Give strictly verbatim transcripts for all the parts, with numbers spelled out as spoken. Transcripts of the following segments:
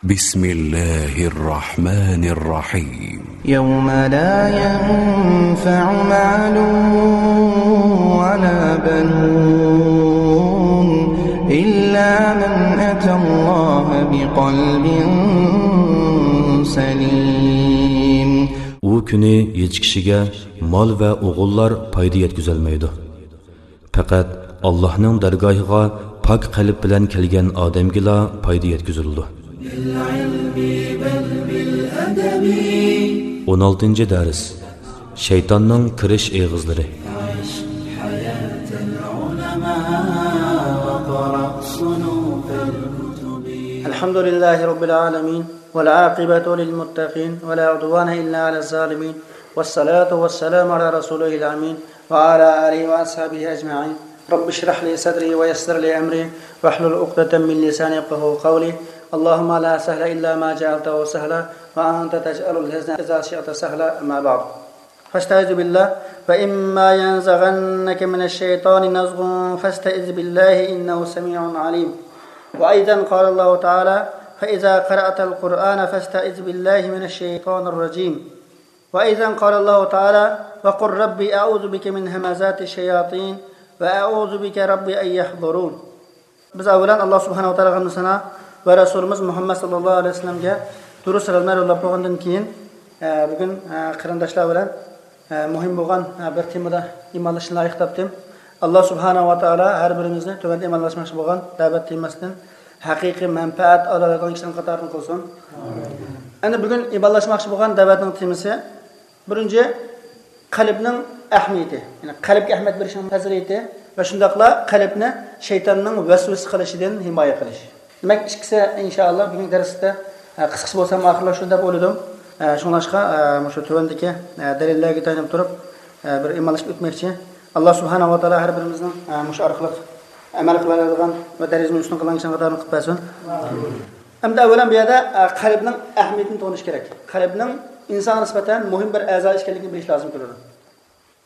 بسم الله الرحمن الرحيم. يوم لا ينفع مال ولا بنون إلا من أتى الله بقلب سليم. ئۇ كۈنى ھېچ كىشىگە مال ۋە ئوغۇللار پايدا يەتكۈزەلمەيدۇ. پەقەت ئاللاھنىڭ دەرگاھىغا پاك قەلب بىلەن كەلگەن ئادەمگىلا پايدا يەتكۈزۈلىدۇ. ئون ئالتىنچى دەرس. شەيتاننىڭ كىرىش ئېغىزلىرى. الحمد لله رب العالمين، والعاقبة للمتقين، ولا عدوان إلا على الظالمين، والصلاة والسلام على رسوله الأمين، وعلى آله وأصحابه أجمعين. رب اشرح لي صدري ويسر لي أمري واحلل عقدة من لساني يفقهوا قولي. اللهم لا سهل إلا ما جعلته سهلا وأنت تجعل الحزن إذا شئت سهلا. أما بعد. فاستعذ بالله. وإما ينزغنك من الشيطان نزغ فاستعذ بالله إنه سميع عليم. وأيضا قال الله تعالى: فإذا قرأت القرآن فاستعذ بالله من الشيطان الرجيم. وأيضا قال الله تعالى: وقل رب أعوذ بك من همزات الشياطين وأعوذ بك رب أن يحضرون. بىز ئەۋۋەلەن ئاللا سۇبھانەھۇ ۋە تائالاغا ھەمدۇ سانا ۋە رەسۇلىمىز مۇھەممەد ساللاللاھۇ ئەلەيھى ۋەسەللەمگە دۇرۇد سالاملار يوللاپ بولغاندىن كېيىن، ئە، بۈگۈن، ئە، قېرىنداشلار بىلەن، ئە، مۇھىم بولغان، ئە، بىر تېمىدا ئىمانلىشىشنى لايىق تاپتىم. ئاللا سۇبھانەھۇ ۋە تائالا ھەر بىرىمىزنى تۆۋەندە ئىمانلاشماقچى بولغان دەۋەت تېمىسىدىن ھەقىقىي مەنپەئەت ئالالايدىغان كىشىلەرنىڭ قاتارىدىن قىلسۇن. ئەمدى بۈگۈن ئىبادىلەشمەكچى بولغان دەۋەتنىڭ تېمىسى، بىرىنچى، قەلبنىڭ ئەھمىيىتى، يەنى قەلبكە ئەھمىيەت بېرىشنىڭ پەزىلىتى ۋە شۇنداقلا قەلبنى شەيتاننىڭ ۋەسۋەسە قىلىشىدىن ھىمايە قىلىش. دېمەك، ئىككىسى ئىنشائاللا بۈگۈنكى دەرستە، ئە، قىسقىسى بولسام ئاخىرلاشتۇرىدۇ دەپ ئويلىدىم. ئە، شۇڭلاشقا، ئە، مۇشۇ تۆۋەندىكى، ئە، دەلىللەرگە تايىنىپ تۇرۇپ، ئە، بىر ئىمانلىشىپ ئۆتمەكچى. ئاللا سۇبھانەھۇ ۋە تائالا ھەر بىرىمىزنىڭ، ئە، مۇشۇ ئارقىلىق ئەمەل قىلالايدىغان ۋە دەرىجىنى ئۈستۈن قىلغان كىشىلەرنىڭ قاتارىدىن قىلىپ بەرسۇن. ئەمدى ئەۋۋەلەن بۇ يەردە، ئە، قەلبنىڭ ئەھمىيىتىنى تونۇش كېرەك. قەلبنىڭ ئىنسانغا نىسبەتەن مۇھىم بىر ئەزا ئىكەنلىكىنى بىلىش لازىم كېلىدۇ.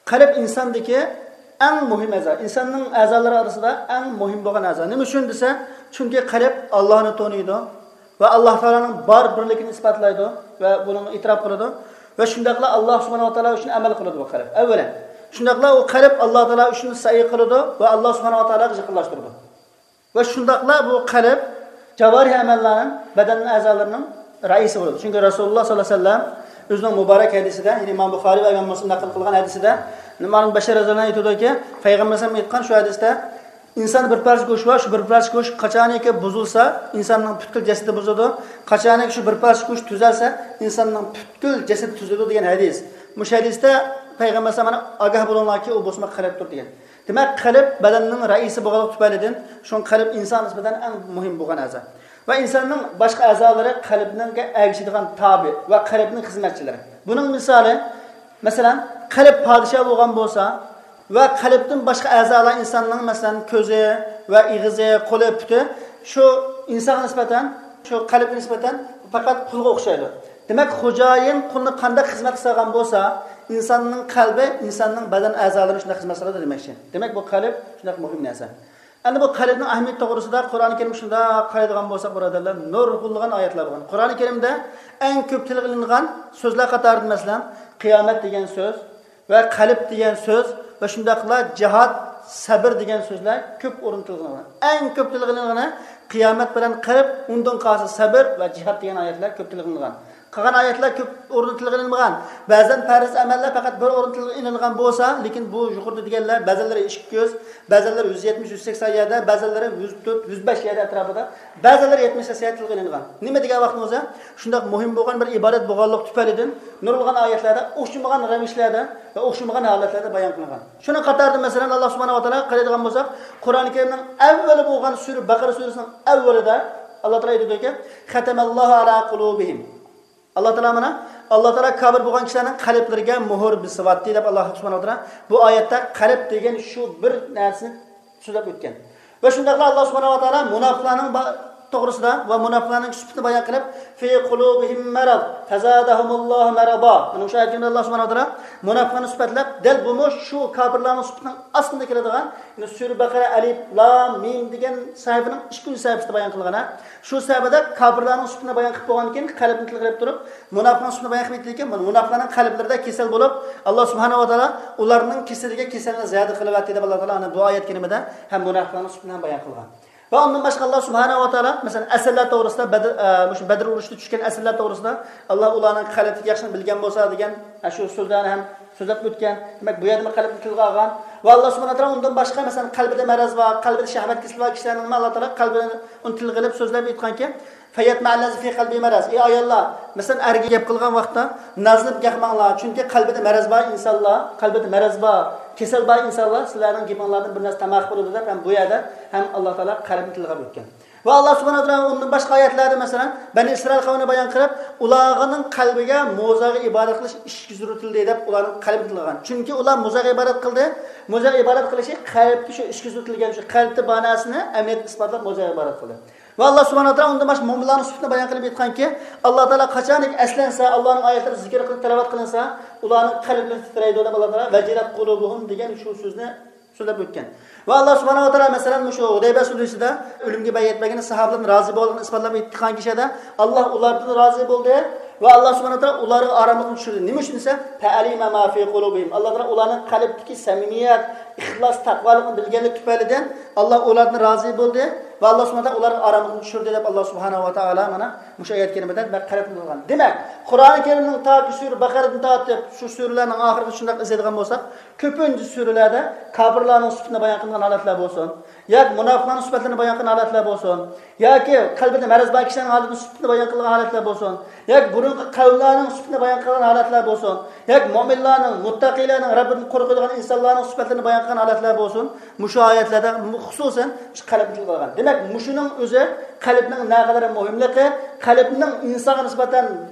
قەلب ئىنساندىكى ئەڭ مۇھىم ئەزا، ئىنساننىڭ ئەزالىرى ئارىسىدا ئەڭ مۇھىم بولغان ئەزا. نېمە ئۈچۈن دېسە، چۈنكى قەلب ئاللاھنى تونۇيدۇ ۋە ئاللاھ تائالانىڭ بار بىرلىكىنى ئىسپاتلايدۇ ۋە بۇنىڭغا ئېتىراپ قىلىدۇ ۋە شۇنداقلا ئاللاھ سۇبھانەھۇ ۋە تائالا ئۈچۈن ئەمەل قىلىدۇ بۇ قەلب. ئەۋۋەلەن، شۇنداقلا ئۇ قەلب ئاللاھ تائالا ئۈچۈن سەئي قىلىدۇ ۋە ئاللاھ سۇبھانەھۇ ۋە تائالاغا يېقىنلاشتۇرىدۇ. ۋە شۇنداقلا بۇ قەلب جاۋارىھ ئەمەللەرنىڭ، بەدەن ئەزالىرىنىڭ رەئىسى بولىدۇ. چۈنكى رەسۇلۇللاھ ساللاللاھۇ ئەلەيھى ۋەسەللەم ئۆزىنىڭ مۇبارەك ھەدىسىدە، يەنى ئىمام بۇخارىي ۋە ئىمام مۇسلىم نەقىل قىلغان ھەدىسىدە، نۇئمان بىن بەشىر رەزىياللاھۇ ئەنھۇ ئېيتىدۇكى، پەيغەمبەر ئەلەيھىسسالام ئېيتقان شۇ ھەدىستە، ئىنساندا بىر پارچە گۆش بار، شۇ بىر پارچە گۆش قاچانكى بۇزۇلسا، ئىنساننىڭ پۈتكۈل جەسىتى بۇزۇلىدۇ. قاچانكى شۇ بىر پارچە گۆش تۈزەلسە، ئىنساننىڭ پۈتكۈل جەسىتى تۈزىلىدۇ دېگەن ھەدىس. مۇشۇ ھەدىستە پەيغەمبەر ئەلەيھىسسالام مانا ئاگاھ بولۇڭلاركى، ئۇ بولسىمۇ قەلبتۇر دېگەن. دېمەك، قەلب بەدەننىڭ رەئىسى بولغانلىقى تۈپەيلىدىن، شۇڭا قەلب ئىنسانغا نىسبەتەن ئەڭ مۇھىم بولغان ئەزا. ۋە ئىنساننىڭ باشقا ئەزالىرى قەلبنىڭ ئەگىشىدىغان تابى ۋە قەلبنىڭ خىزمەتچىلىرى. بۇنىڭ مىسالى، مەسىلەن، قەلب پادىشاھ بولغان بولسا ۋە قەلبتىن باشقا ئەزالار ئىنساننىڭ، مەسىلەن، كۆزى ۋە ئېغىزى، قولى، پۇتى شۇ ئىنسانغا نىسبەتەن، شۇ قەلبكە نىسبەتەن پەقەت قۇلغا ئوخشايدۇ. دېمەك، خوجايىن قۇلنى قانداق خىزمەت قىلسا بولسا، ئىنساننىڭ قەلبى ئىنساننىڭ بەدەن ئەزالىرىنى شۇنداق خىزمەت قىلىدۇ دېمەكچى. دېمەك، بۇ قەلب شۇنداق مۇھىم نەرسە. ئەمدى بۇ قەلبنىڭ ئەھمىيىتى توغرىسىدا قۇرئانى كەرىم شۇنداق قارايدىغان بولساق، بۇرادەرلەر، نۇرغۇنلىغان ئايەتلەر بولغان. قۇرئانى كەرىمدە ئەڭ كۆپ تىلغا ئېلىنغان سۆزلەر قاتارىدا، مەسىلەن، قىيامەت دېگەن سۆز، ۋە قەلب دېگەن سۆز ۋە شۇنداقلا جىھاد، سەبر دېگەن سۆزلەر كۆپ ئورۇن تىلغا ئېلىنغان. ئەڭ كۆپ تىلغا ئېلىنغىنى قىيامەت بىلەن قەلب، ئۇندىن قالسا سەبر ۋە جىھاد دېگەن ئايەتلەر كۆپ تىلغا ئېلىنغان. قالغان ئايەتلەر كۆپ ئورۇن تىلغا ئېلىنمىغان. بەزەن پەرز ئەمەللەر پەقەت بىر ئورۇن تىلغا ئېلىنغان بولسا، لېكىن بۇ يۇقىرىدا دېگەنلەر، بەزەنلىرى ئىككى يۈز، بەزەنلىرى يۈز يەتمىش، يۈز سەكسەن يەردە، بەزەنلىرى يۈز تۆت، يۈز بەش يەردە ئەتراپىدا، بەزەنلىرى يەتمىش سەكسەن يەردە تىلغا ئېلىنغان. نېمە دېگەن ۋاقتىڭىزدا، شۇنداق مۇھىم بولغان بىر ئىبادەت بولغانلىقى تۈپەيلىدىن، نۇرغۇنلىغان ئايەتلەردە ئوخشىمىغان رەۋىشلەردە ۋە ئوخشىمىغان ھالەتلەردە بايان قىلىنغان. شۇنىڭ قاتارىدا، مەسىلەن، ئاللا سۇبھانەھۇ ۋە تائالا قارايدىغان بولساق، قۇرئانى كەرىمنىڭ ئەۋۋىلى بولغان سۈرە، بەقەرە سۈرىسىنىڭ ئەۋۋىلىدە ئاللا تائالا ئېيتىدۇكى، «ختم الله على قلوبهم». ئاللا تائالا مانا، ئاللا تائالا كاپىر بولغان كىشىلەرنىڭ قەلبلىرىگە مۆھۈر بېسىۋەتتى دەپ، ئاللا سۇبھانەھۇ ۋە تائالا بۇ ئايەتتە قەلب دېگەن شۇ بىر نەرسىنى سۆزلەپ ئۆتكەن. ۋە شۇنداقلا ئاللا سۇبھانەھۇ ۋە تائالا مۇناپىقلارنىڭ با-، توغرىسىدا ۋە مۇناپىقلارنىڭ سۈپىتىنى بايان قىلىپ، في قلوبهم مرض فزادهم الله مرضا. مانا مۇشۇ ئايەت كەرىمىدە ئاللا سۇبھانەھۇ ۋە تائالا مۇناپىقلارنى سۈپەتلەپ، دەل بۇمۇ شۇ كاپىرلارنىڭ سۈپىتىنىڭ ئاستىدا كېلىدىغان، يەنى سۈرە بەقەرە ئەلىپ لام مىم دېگەن سەھىپىنىڭ ئىككىنچى سەھىپىسىدە بايان قىلغان. شۇ سەھىپىدە كاپىرلارنىڭ سۈپىتىنى بايان قىلىپ بولغاندىن كېيىن، قەلبىنى تىلغا ئېلىپ تۇرۇپ، مۇناپىقنىڭ سۈپىتىنى بايان قىلىپ ئېيتتىكى، مۇناپىقلارنىڭ قەلبلىرىدە كېسەل بولۇپ، ئاللا سۇبھانەھۇ ۋە تائالا ئۇلارنىڭ كېسىلىگە كېسەلنى زىيادە قىلىۋەتتى دەپ، ئاللا تائالا ئەنە بۇ ئايەت كەرىمىدە ھەم مۇناپىقلارنىڭ سۈپىتىنى ھەم بايان قىلغان. ۋە ئۇندىن باشقا ئاللا سۇبھانەھۇ ۋە تائالا، مەسىلەن، ئەسىرلەر توغرىسىدا، بەدر، ئە، مۇشۇ بەدر ئۇرۇشىدا چۈشكەن ئەسىرلەر توغرىسىدا، ئاللا ئۇلارنىڭ قەلبىدىكى ياخشىنى بىلگەن بولسا دېگەن، ئە، شۇ سۆزلەرنى ھەم سۆزلەپ ئۆتكەن. دېمەك، بۇ يەردىمۇ قەلبنى تىلغا ئالغان. ۋە ئاللا سۇبھانەھۇ ۋە تائالا ئۇندىن باشقا، مەسىلەن، قەلبىدە مەرەز بار، قەلبىدە شەھۋەت كېسىلى بار كىشىلەرنىمۇ ئاللا تائالا قەلبىنى ئۇنى تىلغا ئېلىپ سۆزلەپ ئېيتقانكى، فيطمع الذي في قلبه مرض. ئەي ئاياللار، مەسىلەن، ئەرگە گەپ قىلغان ۋاقىتتا نازلىنىپ گەپ قىلماڭلار، چۈنكى قەلبىدە مەرەز بار ئىنسانلار، قەلبىدە مەرەز بار، كېسەل بار ئىنسانلار سىلەرنىڭ گېپىڭلاردىن بىر نەرسە تاماق بولىدۇ دەپ، ھەم بۇ يەردە ھەم ئاللا تائالا قەلبنى تىلغا ئېلىپ ئۆتكەن. ۋە ئاللا سۇبھانەھۇ ۋە تائالا ئۇندىن باشقا ئايەتلەردە، مەسىلەن، بەنى ئىسرائىل قەۋمىنى بايان قىلىپ، ئۇلارنىڭ قەلبىگە موزاغا ئىبادەت قىلىش ئىشىكى سۈرتۈلدى دەپ، ئۇلارنىڭ قەلبىنى تىلغا ئالغان. چۈنكى ئۇلار موزاغا ئىبادەت قىلدى، موزاغا ئىبادەت قىلىشى قەلبكە شۇ ئىشىكى سۈرتۈلگەن، شۇ قەلبتە بار نەرسىنى ئەمەلىيەتتە ئىسپاتلاپ موزاغا ئىبادەت قىلدى. ۋە ئاللا سۇبھانەھۇ ۋە تائالا ئۇندىن باشقا مۆمىنلارنىڭ سۈپىتىنى بايان قىلىپ ئېيتقانكى، ئاللا تائالا قاچانكى ئەسلەنسە، ئاللانىڭ ئايەتلىرى زىكىر قىلىپ تىلاۋەت قىلىنسا، ئۇلارنىڭ قەلبلىرى تىترەيدۇ دەپ ئاللا تائالا ۋەجىلەت قۇلۇبۇھۇم دېگەن شۇ سۆزنى سۆزلەپ ئۆتكەن. ۋە ئاللا سۇبھانەھۇ ۋە تائالا، مەسىلەن، مۇشۇ ھۇدەيبىيە سۇلھىسىدە ئۆلۈمگە بەيئەت بەرگەن ساھابىلەرنى رازى بولغانلىقىنى ئىسپاتلاپ ئېيتقان كىشىدە، ئاللا ئۇلاردىن رازى بولدى ۋە ئاللا سۇبھانەھۇ ۋە تائالا ئۇلارغا ئاراملىقنى چۈشۈردى. نېمە ئۈچۈن دېسە، فەئەلىمە ما فى قۇلۇبىھىم. ئاللا تائالا ئۇلارنىڭ قەلبىدىكى سەمىمىيەت، ئىخلاس، تەقۋالىقنى بىلگەنلىكى تۈپەيلىدىن ئاللا ئۇلاردىن رازى بولدى ۋە ئاللا سۇبھانەھۇ ۋە تائالا ئۇلارغا ئاراملىقنى چۈشۈردى دەپ ئاللا سۇبھانەھۇ ۋە تائالا مانا مۇشۇ ئايەت كەرىمىدە دېمەك قەلبنى تىلغا ئالغان. دېمەك، قۇرئان كەرىمنىڭ تاكى سۈرە بەقەرىدىن تارتىپ شۇ سۈرىلەرنىڭ ئاخىرىغىچە شۇنداق ئىزدەيدىغان بولساق، كۆپىنچە سۈرىلەردە كاپىرلارنىڭ سۈپىتىنى بايان قىلغان ھالەتلەر بولسۇن، ياكى مۇناپىقلارنىڭ سۈپەتلىرىنى بايان قىلغان ھالەتلەر بولسۇن، ياكى قەلبىدە مەرەز بار كىشىلەرنىڭ ھالىتىنىڭ سۈپىتىنى بايان قىلغان ھالەتلەر بولسۇن، ياكى بۇرۇنقى قەۋملەرنىڭ سۈپىتىنى بايان قىلغان ھالەتلەر بولسۇن، ياكى مۆمىنلارنىڭ، مۇتتەقىيلەرنىڭ، رەببىدىن قورقىدىغان ئىنسانلارنىڭ سۈپەتلىرىنى بايان قىلغان ھالەتلەر بولسۇن، مۇشۇ ئايەتلەردە خۇسۇسەن مۇشۇ قەلبنى تىلغا ئالغان. دېمەك، مۇشۇنىڭ ئۆزى قەلبنىڭ نەقەدەر مۇھىملىقى، قەلبنىڭ ئىنسانغا نىسبەتەن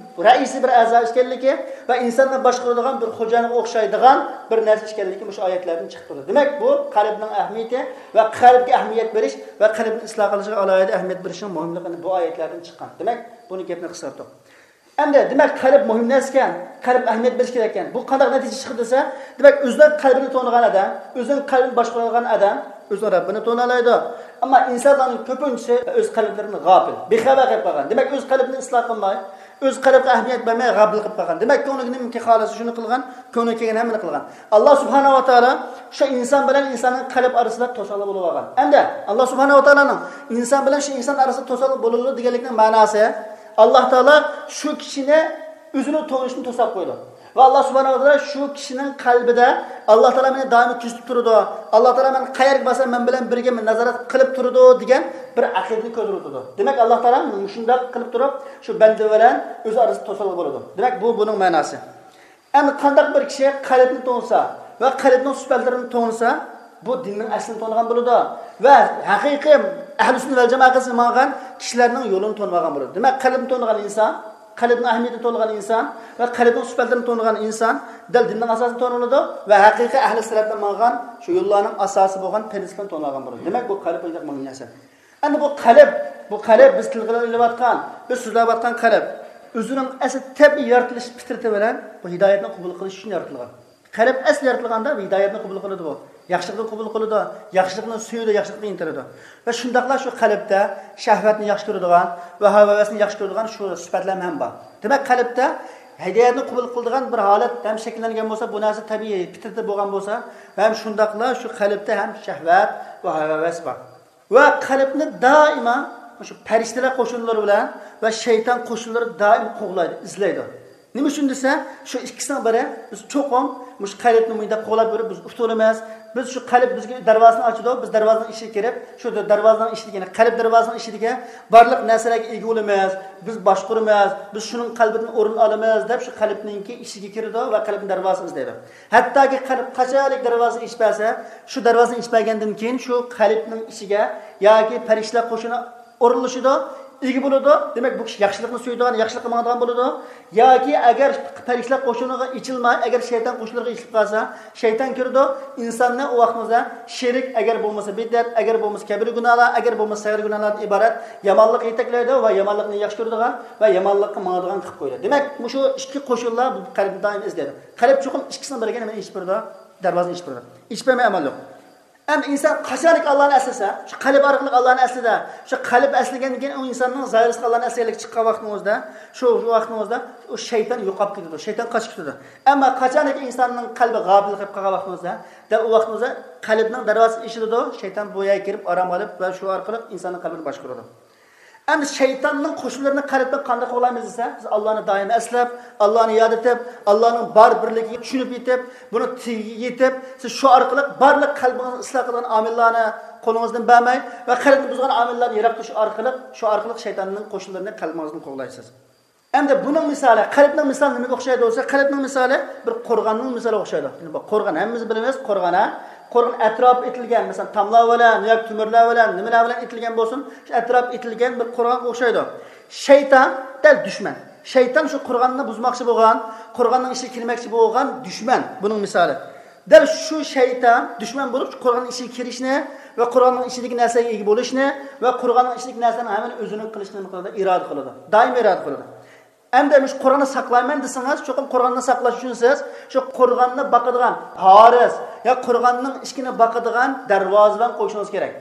رەئىسىي بىر ئەزا ئىكەنلىكى ۋە ئىنساننى باشقۇرىدىغان بىر خوجايىنغا ئوخشايدىغان بىر نەرسە ئىكەنلىكى مۇشۇ ئايەتلەردىن چىقىپ تۇرىدۇ. دېمەك، بۇ قەلبنىڭ ئەھمىيىتى ۋە قەلبكە ئەھمىيەت بېرىش ۋە قەلبنى ئىسلاھ قىلىشىغا ئالاھىدە ئەھمىيەت بېرىشنىڭ مۇھىملىقىنى بۇ ئايەتلەردىن چىققان. دېمەك، بۇنى گەپنى قىسقارتتۇق. ئەمدى، دېمەك، قەلب مۇھىم نەرسە ئىكەن، قەلب ئەھمىيەت بېرىش كېرەك ئىكەن. بۇ قانداق نەتىجە چىقىدۇ دېسە، دېمەك، ئۆزىنىڭ قەلبىنى تونۇغان ئادەم، ئۆزىنىڭ قەلبىنى باشقۇرالىغان ئادەم ئۆزىنىڭ رەببىنى تونۇالايدۇ. ئەمما ئىنسانلارنىڭ كۆپىنچىسى ئۆز قەلبلىرىدىن غاپىل، بىخەۋەر قېلىپ قالغان. دېمەك، ئۆز قەلبىنى ئىسلاھ قىلماي، ئۆز قەلبىگە ئەھمىيەت بەرمەي غاپىل قېلىپ قالغان. دېمەك، كۆڭلىگە نېمىكى خالىسا شۇنى قىلغان، كۆڭلىگە كەلگەن ھەممىنى قىلغان. ئاللا سۇبھانەھۇ ۋە تائالا شۇ ئىنسان بىلەن ئىنساننىڭ قەلب ئارىسىدا توسالغۇ بولۇپ قالغان. ئەمدى ئاللا سۇبھانەھۇ ۋە تائالانىڭ ئىنسان بىلەن شۇ ئىنسان ئارىسىدا توسالغۇ بولىدۇ دېگەنلىكنىڭ مەناسى، ئاللا تائالا شۇ كىشىنى ئۆزىنى تونۇشتىن توساپ قويىدۇ. ۋە ئاللا سۇبھانەھۇ ۋە تائالا شۇ كىشىنىڭ قەلبىدە ئاللا تائالا مېنى دائىم كۆزىتىپ تۇرىدۇ، ئاللا تائالا مەن قەيەرگە بارسام مەن بىلەن بىرگە مېنى نازارەت قىلىپ تۇرىدۇ دېگەن بىر ئەقىدىنى كۆتۈرۈۋېتىدۇ. دېمەك، ئاللا تائالا مۇشۇنداق قىلىپ تۇرۇپ شۇ بەندە بىلەن ئۆزى ئارىسىدا توسالغۇ بولىدۇ. دېمەك، بۇ بۇنىڭ مەناسى. ئەمدى قانداق بىر كىشى قەلبنى تونۇسا ۋە قەلبنىڭ سۈپەتلىرىنى تونۇسا، بۇ دىننىڭ ئەسلىنى تونۇغان بولىدۇ ۋە ھەقىقىي ئەھلى سۈننە ۋەل جامائەتكە ماڭغان كىشىلەرنىڭ يولىنى تونۇۋالغان بولىدۇ. دېمەك، قەلبنى تونۇغان ئىنسان، قەلبنىڭ ئەھمىيىتىنى تونۇغان ئىنسان ۋە قەلبنىڭ سۈپەتلىرىنى تونۇغان ئىنسان دەل دىننىڭ ئاساسىنى تونۇۋالىدۇ ۋە ھەقىقىي ئەھلى سىراتتا ماڭغان شۇ يوللارنىڭ ئاساسى بولغان پىرىنسىپلىرىنى تونۇۋالغان بولىدۇ. دېمەك، بۇ قەلب بۇنداق مۇھىم نەرسە. ئەمدى بۇ قەلب، بۇ قەلب بىز تىلغا ئېلىۋاتقان، بىز سۆزلەۋاتقان قەلب ئۆزىنىڭ ئەسلى تەبىئىي يارىتىلىش پىترىتى بىلەن بۇ ھىدايەتنى قوبۇل قىلىش ئۈچۈن يارىتىلغان. قەلب ئەسلى يارىتىلغاندا بۇ ھىدايەتنى قوبۇل قىلىدۇ، بۇ ياخشىلىقنى قوبۇل قىلىدۇ، ياخشىلىقنى سۆيىدۇ، ياخشىلىققا ئىنتىلىدۇ. ۋە شۇنداقلا شۇ قەلبتە شەھۋەتنى ياخشى كۆرىدىغان ۋە ھەۋا-ھەۋەسنى ياخشى كۆرىدىغان شۇ سۈپەتلەرمۇ ھەم بار. دېمەك، قەلبتە ھىدايەتنى قوبۇل قىلىدىغان بىر ھالەت ھەم شەكىللەنگەن بولسا، بۇ نەرسە تەبىئىي پىترىتى بولغان بولسا، ھەم شۇنداقلا شۇ قەلبتە ھەم شەھۋەت ۋە ھەۋا-ھەۋەس بار. ۋە قەلبنى دائىما مۇشۇ پەرىشتىلەر قوشۇنلىرى بىلەن ۋە شەيتان قوشۇنلىرى دائىم قوغلايدۇ، ئىزدەيدۇ. نېمە ئۈچۈن دېسە، شۇ ئىككىسىنىڭ بىرى، بىز چوقۇم مۇشۇ قەلبنى مۇنداق قوغلاپ يۈرۈپ بىز ئۇتۇلىمىز. بىز شۇ قەلب بىزگە دەرۋازىنى ئاچىدۇ، بىز دەرۋازىنىڭ ئىچىگە كىرىپ، شۇ دەرۋازىنىڭ ئىچىدىكى، يەنى قەلب دەرۋازىنىڭ ئىچىدىكى بارلىق نەرسىلەرگە ئىگە بولىمىز، بىز باشقۇرىمىز، بىز شۇنىڭ قەلبىدىن ئورۇن ئالىمىز دەپ شۇ قەلبنىڭكى ئىچىگە كىرىدۇ ۋە قەلبنىڭ دەرۋازىسىنى ئىزدەيدۇ. ھەتتاكى قەلب قاچانلىك دەرۋازىنى ئېچىپ بەرسە، شۇ دەرۋازىنى ئېچىپ بەرگەندىن كېيىن شۇ قەلبنىڭ ئىچىگە ياكى پەرىشتىلەر قوشۇنى ئورۇنلىشىدۇ، ئىگە بولىدۇ. دېمەك، بۇ كىشى ياخشىلىقنى سۆيىدىغان، ياخشىلىققا ماڭىدىغان بولىدۇ. ياكى ئەگەر پەرىشتىلەر قوشۇنىغا ئېچىلماي، ئەگەر شەيتان قوشۇنلىرىغا ئېچىلىپ قالسا، شەيتان كىرىدۇ، ئىنساننى ئۇ ۋاقتىمىزدا شىرك، ئەگەر بولمىسا بىدئەت، ئەگەر بولمىسا كەبىرە گۇناھلار، ئەگەر بولمىسا سەغىرە گۇناھلاردىن ئىبارەت يامانلىققا يېتەكلەيدۇ ۋە يامانلىقنى ياخشى كۆرىدىغان ۋە يامانلىققا ماڭىدىغان قىلىپ قويىدۇ. دېمەك، مۇشۇ ئىككى قوشۇنلار بۇ قەلبنى دائىم ئىزدەيدۇ. قەلب چوقۇم ئىككىسىنىڭ بىرىگە نېمىنى ئېچىپ بېرىدۇ؟ دەرۋازىنى ئېچىپ بېرىدۇ. ئېچىپ بەرمەي ئامال يوق. ئەمدى ئىنسان قاچانكى ئاللانى ئەسلىسە، شۇ قەلب ئارقىلىق ئاللانى ئەسلىدە، شۇ قەلب ئەسلىگەندىن كېيىن ئۇ ئىنساننىڭ زاھىرىسىغا ئاللانى ئەسلىگەنلىككە چىققان ۋاقتىنىڭ ئۆزىدە، شۇ، شۇ ۋاقىتنىڭ ئۆزىدە ئۇ شەيتان يوقاپ كېتىدۇ، شەيتان قاچىپ كېتىدۇ. ئەمما قاچانكى ئىنساننىڭ قەلبى غاپىل قېلىپ قالغان ۋاقتىنىڭ ئۆزىدە، دەل ئۇ ۋاقتىنىڭ ئۆزىدە قەلبنىڭ دەرۋازىسى ئېچىلىدۇ، شەيتان بۇ يەرگە كىرىپ ئارام ئېلىپ ۋە شۇ ئارقىلىق ئىنساننىڭ قەلبىنى باشقۇرىدۇ. ئەمدى شەيتاننىڭ قوشۇنلىرىنى قەلبتىن قانداق قوغلايمىز دېسە، بىز ئاللانى دائىم ئەسلەپ، ئاللانى ياد ئېتىپ، ئاللانىڭ بار بىرلىكىگە چۈشىنىپ يېتىپ، بۇنى تېگىگە يېتىپ، سىز شۇ ئارقىلىق بارلىق قەلبىڭىزنى ئىسلاھ قىلىدىغان ئامىللارنى قولىڭىزدىن بەرمەي ۋە قەلبنى بۇزغان ئامىللاردىن يىراق تۇرۇش ئارقىلىق، شۇ ئارقىلىق شەيتاننىڭ قوشۇنلىرىنى قەلبىڭىزدىن قوغلايسىز. ئەمدى بۇنىڭ مىسالى، قەلبنىڭ مىسالى نېمىگە ئوخشايدۇ دېسە، قەلبنىڭ مىسالى بىر قورغاننىڭ مىسالىغا ئوخشايدۇ. يەنى بۇ قورغان، ھەممىمىز بىلىمىز، قورغان، ھە؟ قورغان ئەتراپى ئېتىلگەن، مەسىلەن، تاملار بىلەن ياكى تۆمۈرلەر بىلەن، نېمىلەر بىلەن ئېتىلگەن بولسۇن، شۇ ئەتراپى ئېتىلگەن بىر قورغانغا ئوخشايدۇ. شەيتان دەل دۈشمەن. شەيتان شۇ قورغاننى بۇزماقچى بولغان، قورغاننىڭ ئىچىگە كىرمەكچى بولغان دۈشمەن بۇنىڭ مىسالى. دەل شۇ شەيتان دۈشمەن بولۇپ، شۇ قورغاننىڭ ئىچىگە كىرىشنى ۋە قورغاننىڭ ئىچىدىكى نەرسىگە ئىگە بولۇشنى ۋە قورغاننىڭ ئىچىدىكى نەرسىلەرنىڭ ھەممىنى ئۆزىنىڭ قىلىشقا نېمە قىلىدۇ؟ ئىرادە قىلىدۇ. دائىم ئىرادە قىلىدۇ. ئەمدى مۇشۇ قورغاننى ساقلايمەن دېسىڭىز، چوقۇم قورغاننى ساقلاش ئۈچۈن سىز شۇ قورغاننى باقىدىغان ھارىس يا قورغاننىڭ ئىشىكىنى باقىدىغان دەرۋازىۋەن قويۇشىڭىز كېرەك.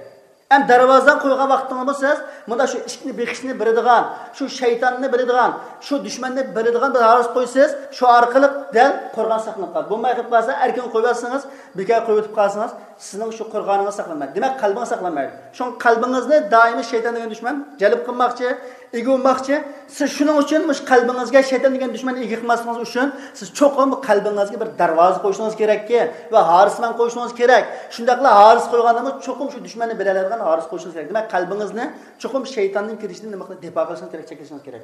ئەمدى دەرۋازىدىن قويغان ۋاقتىڭىزمۇ سىز مۇنداق شۇ ئىشىكنى بېقىشنى بىلىدىغان، شۇ شەيتاننى بىلىدىغان، شۇ دۈشمەننى بىلىدىغان بىر ھارىس قويسىز، شۇ ئارقىلىق دەل قورغان ساقلىنىپ قالىدۇ. بولماي قېلىپ قالسا، ئەركىن قويۇۋەتسىڭىز، بىكار قويۇۋېتىپ قالسىڭىز، سىزنىڭ شۇ قورغانىڭىز ساقلانمايدۇ. دېمەك، قەلبىڭىز ساقلانمايدۇ. شۇڭا قەلبىڭىزنى دائىمىي شەيتان دېگەن دۈشمەن جەلپ قىلماقچى، ئىگە بولماقچى. سىز شۇنىڭ ئۈچۈن مۇشۇ قەلبىڭىزگە شەيتان دېگەن دۈشمەننى ئىگە قىلماسلىقىڭىز ئۈچۈن، سىز چوقۇم قەلبىڭىزگە بىر دەرۋازە قويۇشىڭىز كېرەككى ۋە ھارىسمان قويۇشىڭىز كېرەك. شۇنداقلا ھارىس قويغاندىمۇ چوقۇم شۇ دۈشمەننى بىلەلەيدىغان ھارىس قويۇشىڭىز كېرەك. دېمەك، قەلبىڭىزنى چوقۇم شەيتاننىڭ كىرىشىدىن نېمە قىلىپ دىپا قىلىشىڭىز كېرەك، چەكلىشىڭىز كېرەك.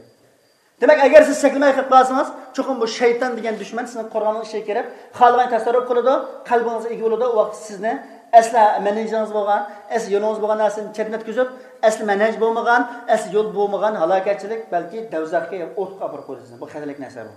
دېمەك، ئەگەر سىز چەكلىمەي قېلىپ قالسىڭىز، چوقۇم بۇ شەيتان دېگەن دۈشمەن سىزنىڭ قورغاننىڭ ئىچىگە كىرىپ، خالىغان تەسەررۇپ قىلىدۇ، قەلبىڭىزگە ئىگە بولىدۇ. ئۇ ۋاقىت سىزنى ئەسلى مەنھەجىڭىز بولغان، ئەسلى يولىڭىز بولغان نەرسىدىن چەتنەتكۈزۈپ، ئەسلى مەنھەج بولمىغان، ئەسلى يول بولمىغان ھالاكەتچىلىك، بەلكى دوزاخقا، ئوتقا ئاپىرىپ قويىدۇ سىزنى. بۇ خەتەرلىك نەرسە بۇ.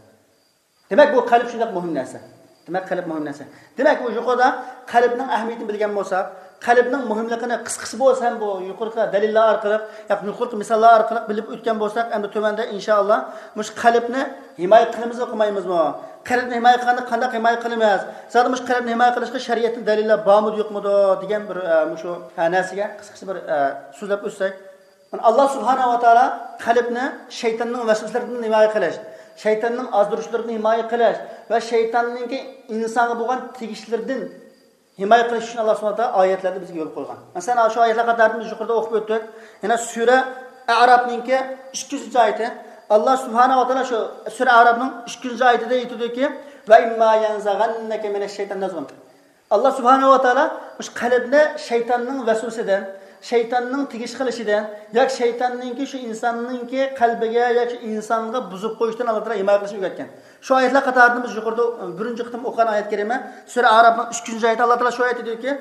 دېمەك، بۇ قەلب شۇنداق مۇھىم نەرسە. دېمەك، قەلب مۇھىم نەرسە. دېمەك، بۇ يۇقىرىدا قەلبنىڭ ئەھمىيىتىنى بىلگەن بولساق، قەلبنىڭ مۇھىملىقىنى قىسقىسى بولسا ھەم بۇ يۇقىرىقى دەلىللەر ئارقىلىق، ياكى يۇقىرىقى مىساللار ئارقىلىق بىلىپ ئۆتكەن بولساق، ئەمدى تۆۋەندە ئىنشائاللا مۇشۇ قەلبنى ھىمايە قىلىمىزمۇ، قىلمايمىزمۇ؟ قەلبنى ھىمايە قىلغاندا قانداق ھىمايە قىلىمىز؟ زادى مۇشۇ قەلبنى ھىمايە قىلىشقا شەرىئەتتىن دەلىللەر بارمىدۇ، يوقمىدۇ دېگەن بىر، ئە، مۇشۇ، ئە، نەرسىگە قىسقىچە بىر، ئە، سۆزلەپ ئۆتسەك. مانا، ئاللا سۇبھانەھۇ ۋە تائالا قەلبنى شەيتاننىڭ ۋەسۋەسىلىرىدىن ھىمايە قىلىش، شەيتاننىڭ ئازدۇرۇشلىرىدىن ھىمايە قىلىش ۋە شەيتاننىڭكى ئىنسانغا بولغان تېگىشلىرىدىن ھىمايە قىلىش ئۈچۈن ئاللا سۇبھانەھۇ ۋە تائالا ئايەتلەردە بىزگە يول قويغان. مەسىلەن، شۇ ئايەتلەر قاتارىدىن بىز يۇقىرىدا ئوقۇپ ئۆتتۇق. يەنە سۈرە ئەرافنىڭكى ئىككى يۈزىنچى ئايىتى. ئاللا سۇبھانەھۇ ۋە تائالا شۇ سۈرە ئەرافنىڭ ئىككى يۈزىنچى ئايىتىدە ئېيتىدۇكى، ۋە ئىمما يەنزەغەننەكە مىنەششەيتان نەزغۇن. ئاللا سۇبھانەھۇ ۋە تائالا مۇشۇ قەلبنى شەيتاننىڭ ۋەسۋەسىدىن، شەيتاننىڭ تېگىش قىلىشىدىن ياكى شەيتاننىڭكى شۇ ئىنساننىڭكى قەلبىگە ياكى شۇ ئىنسانغا بۇزۇپ قويۇشتىن ئاللا تائالا ھىمايە قىلىشنى ئۆگەتكەن. شۇ ئايەتلەر قاتارىدىن بىز يۇقىرىدا بىرىنچى قېتىم ئوقۇغان ئايەت كەرىمە، سۈرە ئەرافنىڭ ئۈچىنچى ئايىتى، ئاللا تائالا شۇ ئايەتتە دېدىكى،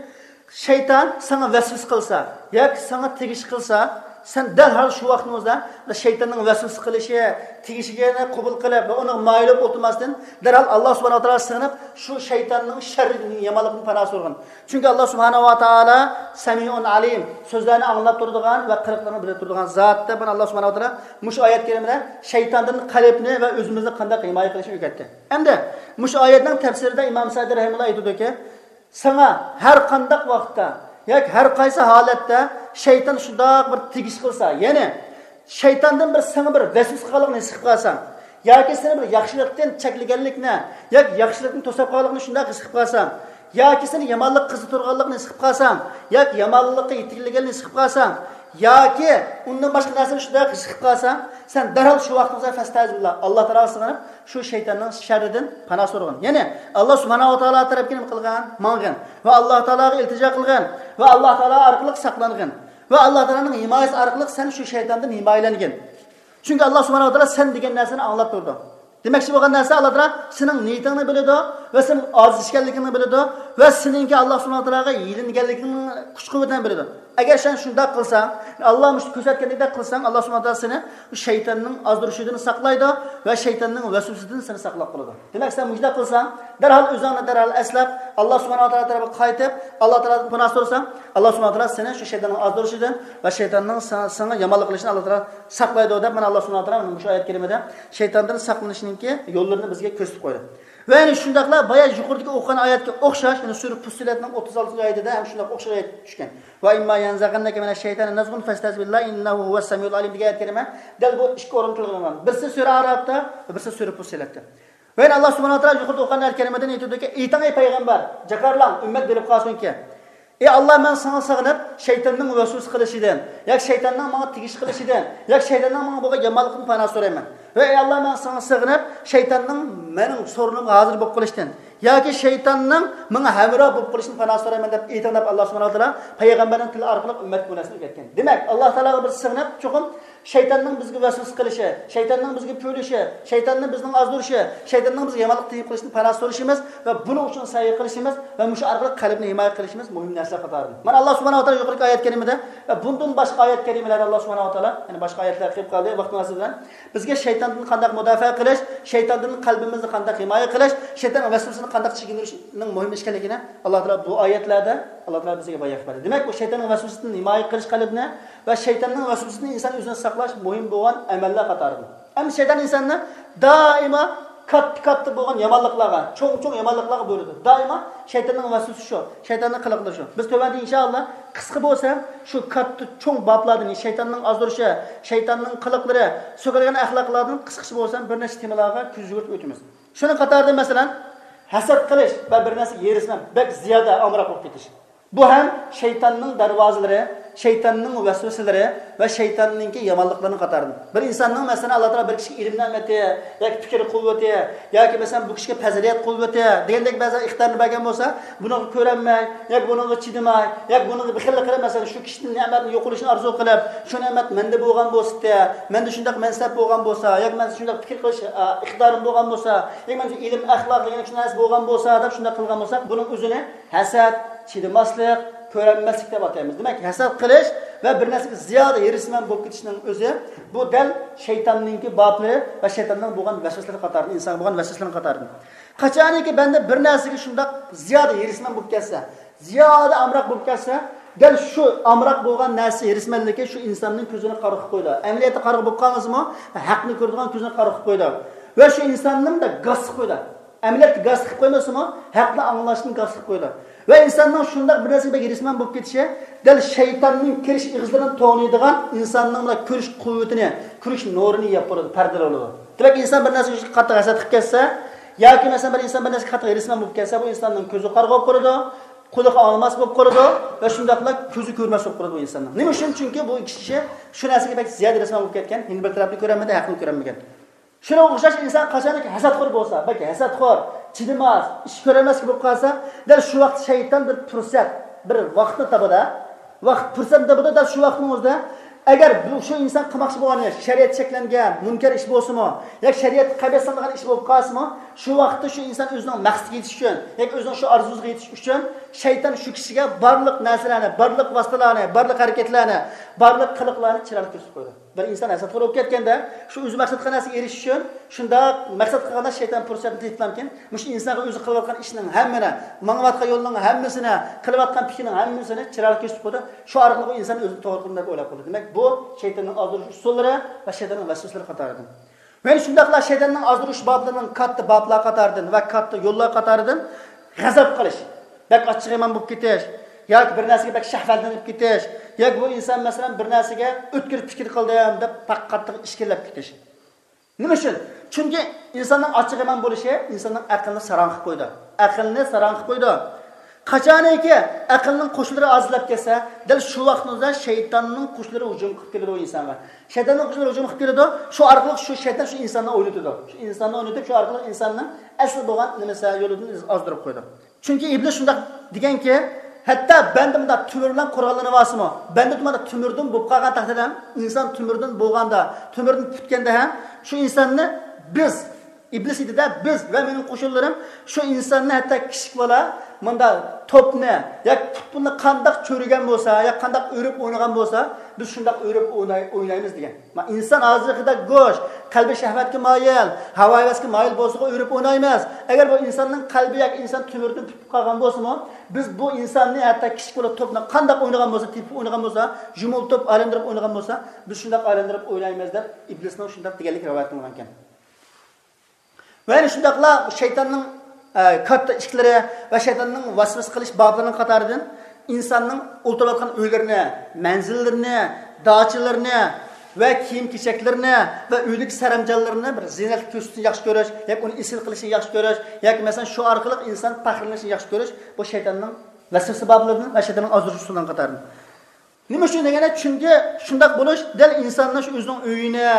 شەيتان ساڭا ۋەسۋەسە قىلسا ياكى ساڭا تېگىش قىلسا، سەن دەرھال شۇ ۋاقتىڭىزدا شەيتاننىڭ ۋەسۋەسە قىلىشى، تېگىشىگە قوبۇل قىلىپ ۋە ئۇنىڭغا مايىل بولۇپ ئولتۇرماستىن، دەرھال ئاللا سۇبھانەھۇ ۋە تائالاغا سىغىنىپ، شۇ شەيتاننىڭ شەررىدىن، يامانلىقىدىن پاناھ سورىغىن. چۈنكى ئاللا سۇبھانەھۇ ۋە تائالا سەمىئۇن ئەلىم، سۆزلەرنى ئاڭلاپ تۇرىدىغان ۋە قىلىقلارنى بىلىپ تۇرىدىغان زات دەپ، مانا، ئاللا سۇبھانەھۇ ۋە تائالا مۇشۇ ئايەت كەرىمىدە شەيتاندىن قەلبنى ۋە ئۆزىمىزنى قانداق ھىمايە قىلىشنى ئۆگەتتى. ئەمدى مۇشۇ ئايەتنىڭ تەپسىرىدە ئىمام سەئدى رەھىمەھۇللا ئېيتىدۇكى، ساڭا ھەر قانداق ۋاقىتتا ياكى ھەر قايسى ھالەتتە شەيتان شۇنداق بىر تېگىش قىلسا، يەنى شەيتاندىن بىر ساڭا بىر ۋەسۋەسە قىلغانلىقىنى ھېس قىلىپ قالساڭ، ياكى سېنى بىر ياخشىلىقتىن چەكلىگەنلىكنى ياكى ياخشىلىقتىن توساپ قالغانلىقىنى شۇنداق ھېس قىلىپ قالساڭ، ياكى سېنى يامانلىققا قىزىتىدىغانلىقىنى ھېس قىلىپ قالساڭ، ياكى يامانلىققا يېتەكلىگەنلىكىنى ھېس قىلىپ قالساڭ، ياكى ئۇندىن باشقا نەرسىنى شۇنداق ھېس قىلىپ قالساڭ، سەن دەرھال شۇ ۋاقتىڭدا فەستەئىزبىللا، ئاللا تائالاغا سىغىنىپ، شۇ شەيتاننىڭ شەررىدىن پاناھ سورىغىن. يەنى ئاللا سۇبھانەھۇ ۋە تائالا تەرەپكە نېمە قىلغىن؟ ماڭغىن. ۋە ئاللا تائالاغا ئىلتىجا قىلغىن. ۋە ئاللا تائالا ئارقىلىق ساقلانغىن. ۋە ئاللا تائالانىڭ ھىمايىسى ئارقىلىق سەن شۇ شەيتاندىن ھىمايىلەنگىن. چۈنكى ئاللا سۇبھانەھۇ ۋە تائالا سەن دېگەن نەرسىنى ئاڭلاپ تۇرىدۇ. دېمەكچى بولغان نەرسە، ئاللا تائالا سېنىڭ نىيىتىڭنى بىلىدۇ ۋە سېنىڭ ئاجىز ئىكەنلىكىڭنى بىلىدۇ ۋە سېنىڭكى ئاللا سۇبھانەھۇ ۋە تائالاغا يېلىنگەنلىكىڭنىڭ كۈچ-قۇۋۋىتىنى بىلىدۇ. ئەگەر سەن شۇنداق قىلساڭ، ئاللا مۇشۇ كۆرسەتكەندەك قىلساڭ، ئاللا سۇبھانەھۇ ۋە تائالا سېنى شەيتاننىڭ ئازدۇرۇشىدىن ساقلايدۇ ۋە شەيتاننىڭ ۋەسۋەسىدىن سېنى ساقلاپ قالىدۇ. دېمەك، سەن مۇشۇنداق قىلساڭ، دەرھال ئۆزۈڭنى دەرھال ئەسلەپ، ئاللا سۇبھانەھۇ ۋە تائالا تەرەپكە قايتىپ، ئاللا تائالادىن پاناھ سورىساڭ، ئاللا سۇبھانەھۇ ۋە تائالا سېنى شۇ شەيتاننىىڭ ئازدۇرۇشىدىن ۋە شەيتاننىڭ سا-، ساڭا يامانلىق قىلىشىدىن ئاللا تائالا ساقلايدۇ دەپ، مانا ئاللا سۇبھانەھۇ ۋە تائالا مۇشۇ ئايەت كەرىمىدە شەيتاندىن ساقلىنىشنىڭكى يوللىرىنى بىزگە كۆرسىتىپ قويدى. ۋە يەنە شۇنداقلا بايا يۇقىرىدىكى ئوقۇغان ئايەتكە ئوخشاش، يەنە سۈرە پۇسسىلەتنىڭ ئوتتۇز ئالتىنچى ئايىتىدە ھەم شۇنداق ئوخشاش ئايەت چۈشكەن. ۋە ئىمما يەنزەغەننەكە مىنەششەيتانى نەزغۇن فەستەئىز بىللاھ ئىننەھۇ ھۇۋەسسەمىئۇل ئەلىم دېگەن ئايەت كەرىمە دەل بۇ ئىككى ئورۇندا تىلغا ئېلىنغان. بىرسى سۈرە ئەئرافتا ۋە بىرسى سۈرە پۇسسىلەتتە. ۋە يەنە ئاللا سۇبھانەھۇ ۋە تائالا يۇقىرىدا ئوقۇغان ئايەت كەرىمىدە نېمە دېدىكى، ئېيتىڭ ئەي پەيغەمبەر، جاكارلاڭ، ئۈممەت بىلىپ قالسۇنكى. ئى ئاللا، مەن ساڭا سىغىنىپ، شەيتاننىڭ ۋەسۋەسە قىلىشىدىن، ياكى شەيتاننىڭ ماڭا تېگىش قىلىشىدىن، ياكى شەيتاننىڭ ماڭا بولغان يامانلىقىدىن پاناھ سورايمەن. ۋە ئى ئاللا، مەن ساڭا سىغىنىپ، شەيتاننىڭ مېنىڭ سورۇنۇمغا ھازىر بولۇپ قېلىشتىن، ياكى شەيتاننىڭ ماڭا ھەمراھ بولۇپ قېلىشىدىن پاناھ سورايمەن دەپ ئېيتىڭ دەپ، ئاللا سۇبھانەھۇ ۋە تائالا پەيغەمبەرنىڭ تىلى ئارقىلىق ئۈممەتكە بۇ نەرسىنى ئۆگەتكەن. دېمەك، ئاللا تائالاغا بىز سىغىنىپ، چوقۇم شەيتاننىڭ بىزگە ۋەسۋەسە قىلىشى، شەيتاننىڭ بىزگە پۈۋلىشى، شەيتاننىڭ بىزنىڭ ئازدۇرۇشى، شەيتاننىڭ بىزگە يامانلىق تېگىپ قېلىشىدىن پاناھ سورىشىمىز ۋە بۇنىڭ ئۈچۈن سەي قىلىشىمىز ۋە مۇشۇ ئارقىلىق قەلبنى ھىمايە قىلىشىمىز مۇھىم نەرسىلەر قاتارىدىن. مانا ئاللا سۇبھانەھۇ ۋە تائالا يۇقىرىقى ئايەت كەرىمىدە ۋە بۇندىن باشقا ئايەت كەرىمىلەردە ئاللا سۇبھانەھۇ ۋە تائالا، يەنى باشقا ئايەتلەر كېلىپ قالدى، ۋاقىت مۇناسىۋىتى بىلەن بىزگە شەيتاندىن قانداق مۇداپىئە قىلىش، شەيتاندىن قەلبىمىزنى قانداق ھىمايە قىلىش، شەيتاننىڭ ۋەسۋەسىسىدىن قانداق چېكىندۈرۈشنىڭ مۇھىم ئىكەنلىكىنى ئاللا تائالا بۇ ئايەتلەردە ئاللا تائالا بىزگە بايان قىلىپ بەردى. دېمەك، بۇ شەيتاننىڭ ۋەسۋەسىسىدىن ھىمايە قىلىش قەلبنى ۋە شەيتاننىڭ ۋەسۋەسىسىدىن ئىنسان ئۆزىنى ساقلاش مۇھىم بولغان ئەمەللەر قاتارىدىن. ئەمدى شەيتان ئىنساننى دائىما كاتتا-كاتتا بولغان يامانلىقلارغا، چوڭ-چوڭ يامانلىقلارغا بۇيرۇيدۇ. دائىما شەيتاننىڭ ۋەسۋەسىسى شۇ، شەيتاننىڭ قىلىقلىرى شۇ. بىز تۆۋەندە ئىنشائاللا قىسقا بولسا شۇ كاتتا چوڭ بابلاردىن، شەيتاننىڭ ئازدۇرۇشى، شەيتاننىڭ قىلىقلىرى، سۆكۈلگەن ئەخلاقلاردىن قىسقىچە بولسا بىر نەچچە تېمىلارغا كۆز يۈگۈرتۈپ ئۆتىمىز. شۇنىڭ قاتارىدا مەسىلەن، ھەسەت قىلىش ۋە بىر نەرسىگە ھېرىسمەن، بەك زىيادە ئامراق بولۇپ كېتىش. بۇ ھەم شەيتاننىڭ دەرۋازىلىرى، شەيتاننىڭ ۋەسۋەسىلىرى ۋە شەيتاننىڭكى يامانلىقلىرىنىڭ قاتارىدىن. بىر ئىنساننىڭ، مەسىلەن، ئاللا تائالا بىر كىشىگە ئىلىم نېمىتى ياكى پىكىر قۇۋۋىتى ياكى، مەسىلەن، بۇ كىشىگە پەزىلەت قۇۋۋىتى دېگەندەك بەزى ئىقتىدارنى بەرگەن بولسا، بۇنىڭغا كۆرەلمەي ياكى بۇنىڭغا چىدىماي ياكى بۇنىڭغا بېخىللىق قىلىپ، مەسىلەن، شۇ كىشىدىن نېمەتنىڭ يوقىلىشىنى ئارزۇ قىلىپ، شۇ نېمەت مەندە بولغان بولسىتى، مەندە شۇنداق مەنسەپ بولغان بولسا ياكى مەن شۇنداق پىكىر قىلىش، ئا، ئىقتىدارىم بولغان بولسا ياكى مەن شۇ ئىلىم، ئەخلاق دېگەن شۇ نەرسە بولغان بولسا دەپ شۇنداق قىلغان بولساق، بۇنىڭ ئۆزىنى ھەسەت، چىدىماسلىق، كۆرەلمەسلىك دەپ ئاتايمىز. دېمەك، ھەسەت قىلىش ۋە بىر نەرسىگە زىيادە ھېرىسمەن بولۇپ كېتىشنىڭ ئۆزى، بۇ دەل شەيتاننىڭكى بابلىرى ۋە شەيتاننىڭ بولغان ۋەسۋەسىلىرى قاتارىدىن، ئىنسانغا بولغان ۋەسۋەسىلىرىنىڭ قاتارىدىن. قاچانكى بەندە بىر نەرسىگە شۇنداق زىيادە ھېرىسمەن بولۇپ كەتسە، زىيادە ئامراق بولۇپ كەتسە، دەل شۇ ئامراق بولغان نەرسە، ھېرىسمەنلىكى شۇ ئىنساننىڭ كۆزىنى قارا قىلىپ قويىدۇ. ئەمەلىيەتتە قارا بولۇپ قالمىسىمۇ، ھەقنى كۆرىدىغان كۆزىنى قارا قىلىپ قويىدۇ. ۋە شۇ ئىنساننى مۇنداق گاس قىلىپ قويىدۇ. ئەمەلىيەتتە گاس قىلىپ قويمىسىمۇ، ھەقنى ئاڭلاشتىن گاس قىلىپ قويىدۇ. ۋە ئىنساننىڭ شۇنداق بىر نەرسىگە بەك ھېرىسمەن بولۇپ كېتىشى دەل شەيتاننىڭ كىرىش ئېغىزلىرىنى توڭلايدىغان ئىنساننىڭ مۇنداق كۆرۈش قۇۋۋىتىنى، كۆرۈش نۇرىنى يەپ بولىدۇ، پەردىلەپ بولىدۇ. دېمەك، ئىنسان بىر نەرسىگە قاتتىق ھەسەت قىلىپ كەتسە ياكى، مەسىلەن، بىر ئىنسان بىر نەرسىگە قاتتىق ھېرىسمەن بولۇپ كەتسە، بۇ ئىنساننىڭ كۆزى قارىغۇ بولۇپ قالىدۇ، قۇلىقى ئاڭلىماس بولۇپ قالىدۇ ۋە شۇنداقلا كۆزى كۆرمەس بولۇپ قالىدۇ بۇ ئىنساننىڭ. نېمە ئۈچۈن؟ چۈنكى بۇ كىشى شۇ نەرسىگە بەك زىيادە ھېرىسمەن بولۇپ كەتكەن، يەنە بىر تەرەپنى كۆرەلمىدى، ھەقنى كۆرەلمىگەن. شۇنىڭغا ئوخشاش ئىنسان قاچانكى ھەسەتخور بولسا، بەك ھەسەتخور، چىدىماس، ئىش كۆرەلمەسلىك بولۇپ قالسا، دەل شۇ ۋاقىت شەيتان بىر پۇرسەت، بىر ۋاقىتنى تاپىدۇ. ۋاقىت پۇرسەتنى تاپىدۇ، دەل شۇ ۋاقىتنىڭ ئۆزىدە ئەگەر بۇ، شۇ ئىنسان قىلماقچى بولغان ئىش شەرىئەتتە چەكلەنگەن مۇنكەر ئىش بولسىمۇ، ياكى شەرىئەتكە قەبىھ سانىلغان ئىش بولۇپ قالسىمۇ، شۇ ۋاقىتتا شۇ ئىنسان ئۆزىنىڭ مەقسىتىگە يېتىش ئۈچۈن ياكى ئۆزىنىڭ شۇ ئارزۇسىغا يېتىش ئۈچۈن شەيتان شۇ كىشىگە بارلىق نەرسىلەرنى، بارلىق ۋاسىتىلەرنى، بارلىق ھەرىكەتلەرنى، بارلىق قىلىقلارنى چىرايلىق كۆرسىتىپ قويىدۇ. بىر ئىنسان ھەسەتخور بولۇپ كەتكەندە، شۇ ئۆزى مەقسەت قىلغان نەرسىگە ئېرىشىش ئۈچۈن شۇنداق مەقسەت قىلغاندا شەيتان پۇرسەتنى تېپىپلامكىن، مۇشۇ ئىنسانغا ئۆزى قىلىۋاتقان ئىشنىڭ ھەممىنى، ماڭىۋاتقان يولنىڭ ھەممىسىنى، قىلىۋاتقان پىكرىنىڭ ھەممىسىنى چىرايلىق كۆرسىتىپ قويىدۇ. شۇ ئارقىلىق ئۇ ئىنسان ئۆزىنى توغرا قىلدىم دەپ ئويلاپ قالىدۇ. دېمەك، بۇ شەيتاننىڭ ئازدۇرۇش ئۇسۇللىرى ۋە شەيتاننىڭ ۋەسۋەسىلىرى قاتارىدىن. مەن شۇنداقلا شەيتاننىڭ ئازدۇرۇش بابلىرىنىڭ كاتتا بابلار قاتارىدىن ۋە كاتتا يوللار قاتارىدىن غەزەپ قىلىش، بەك ئاچچىقىيمان بولۇپ كېتىش ياكى بىر نەرسىگە بەك شەھۋەتلىنىپ كېتىش ياكى بۇ ئىنسان، مەسىلەن، بىر نەرسىگە ئۆتكۈر پىكىر قىلدىم دەپ بەك قاتتىق ئىچكىرىلەپ كېتىش. نېمە ئۈچۈن؟ چۈنكى ئىنساننىڭ ئاچچىقىمان بولۇشى ئىنساننىڭ ئەقلىنى ساراڭ قىلىپ قويىدۇ. ئەقلىنى ساراڭ قىلىپ قويىدۇ. قاچانكى ئەقىلنىڭ قوشۇنلىرى ئازلاپ كەتسە، دەل شۇ ۋاقىتنىڭ ئۆزىدە شەيتاننىڭ قوشۇنلىرى ھۇجۇم قىلىپ كېلىدۇ ئىنسانغا. شەيتاننىڭ قوشۇنلىرى ھۇجۇم قىلىپ كېلىدۇ. شۇ ئارقىلىق شۇ شەيتان شۇ ئىنساننى ئوينىتىدۇ. شۇ ئىنساننى ئوينىتىپ، شۇ ئارقىلىق ئىنساننىڭ ئەسلى بولغان نېمىسى، يولىدىن ئازدۇرۇپ قويىدۇ. چۈنكى ئىبلىس شۇنداق دېگەنكى، ھەتتا بەندە مۇنداق تۆمۈر بىلەن قوراللىنىۋالسىمۇ، بەندە مۇنداق تۆمۈردىن بولۇپ قالغان تەقدىردە ھەم، ئىنسان تۆمۈردىن بولغاندا، تۆمۈردىن پۈتكەندە ھەم، شۇ ئىنساننى بىز ئىبلىس ئېيتىدۇ، بىز ۋە مېنىڭ قوشۇنلىرىم شۇ ئىنساننى، ھەتتا كىچىك بالا مۇنداق توپنى ياكى پۇتبولنى قانداق چۆرۈگەن بولسا، ياكى قانداق ئۆرۈپ ئوينىغان بولسا، بىز شۇنداق ئۆرۈپ ئويناي-، ئوينايمىز دېگەن. ما ئىنسان ھازىرقىدەك گۆش، قەلبى شەھۋەتكە مايىل، ھاۋا-ھەۋەسكە مايىل بولسىغۇ ئۆرۈپ ئوينايمىز. ئەگەر بۇ ئىنساننىڭ قەلبى ياكى ئىنسان تۆمۈردىن پۈتۈپ قالغان بولسىمۇ، بىز بۇ ئىنساننى، ھەتتا كىچىك بالا توپنى قانداق ئوينىغان بولسا، تېپىپ ئوينىغان بولسا، يۇمۇلتۇپ ئايلاندۇرۇپ ئوينىغان بولسا، بىز شۇنداق ئايلاندۇرۇپ ئوينايمىز دەپ ئىبلىسنىڭ شۇنداق دېگەنلىكى رىۋايەت قىلىنغانىكەن. ۋە يەنە شۇنداقلا شەيتاننىڭ، ئە، كاتتا ئىشىكلىرى ۋە شەيتاننىڭ ۋەسۋەسە قىلىش بابلىرىنىڭ قاتارىدىن ئىنساننىڭ ئولتۇرۇۋاتقان ئۆيلىرىنى، مەنزىللىرىنى، داچىلىرىنى ۋە كىيىم-كېچەكلىرىنى ۋە ئۆيدىكى سەرەمجانلىرىنى بىر زىننەتلىك كۆرسىتىشنى ياخشى كۆرۈش ياكى ئۇنى ئېسىل قىلىشنى ياخشى كۆرۈش ياكى مەسىلەن شۇ ئارقىلىق ئىنسان پەخىرلىنىشنى ياخشى كۆرۈش، بۇ شەيتاننىڭ ۋەسۋەسە بابلىرىدىن ۋە شەيتاننىڭ ئازدۇرۇش ئۇسۇللىرىنىڭ قاتارىدىن. نېمە ئۈچۈن دېگەندە، چۈنكى شۇنداق بولۇش دەل ئىنساننىڭ شۇ ئۆزىنىڭ ئۆيىنى،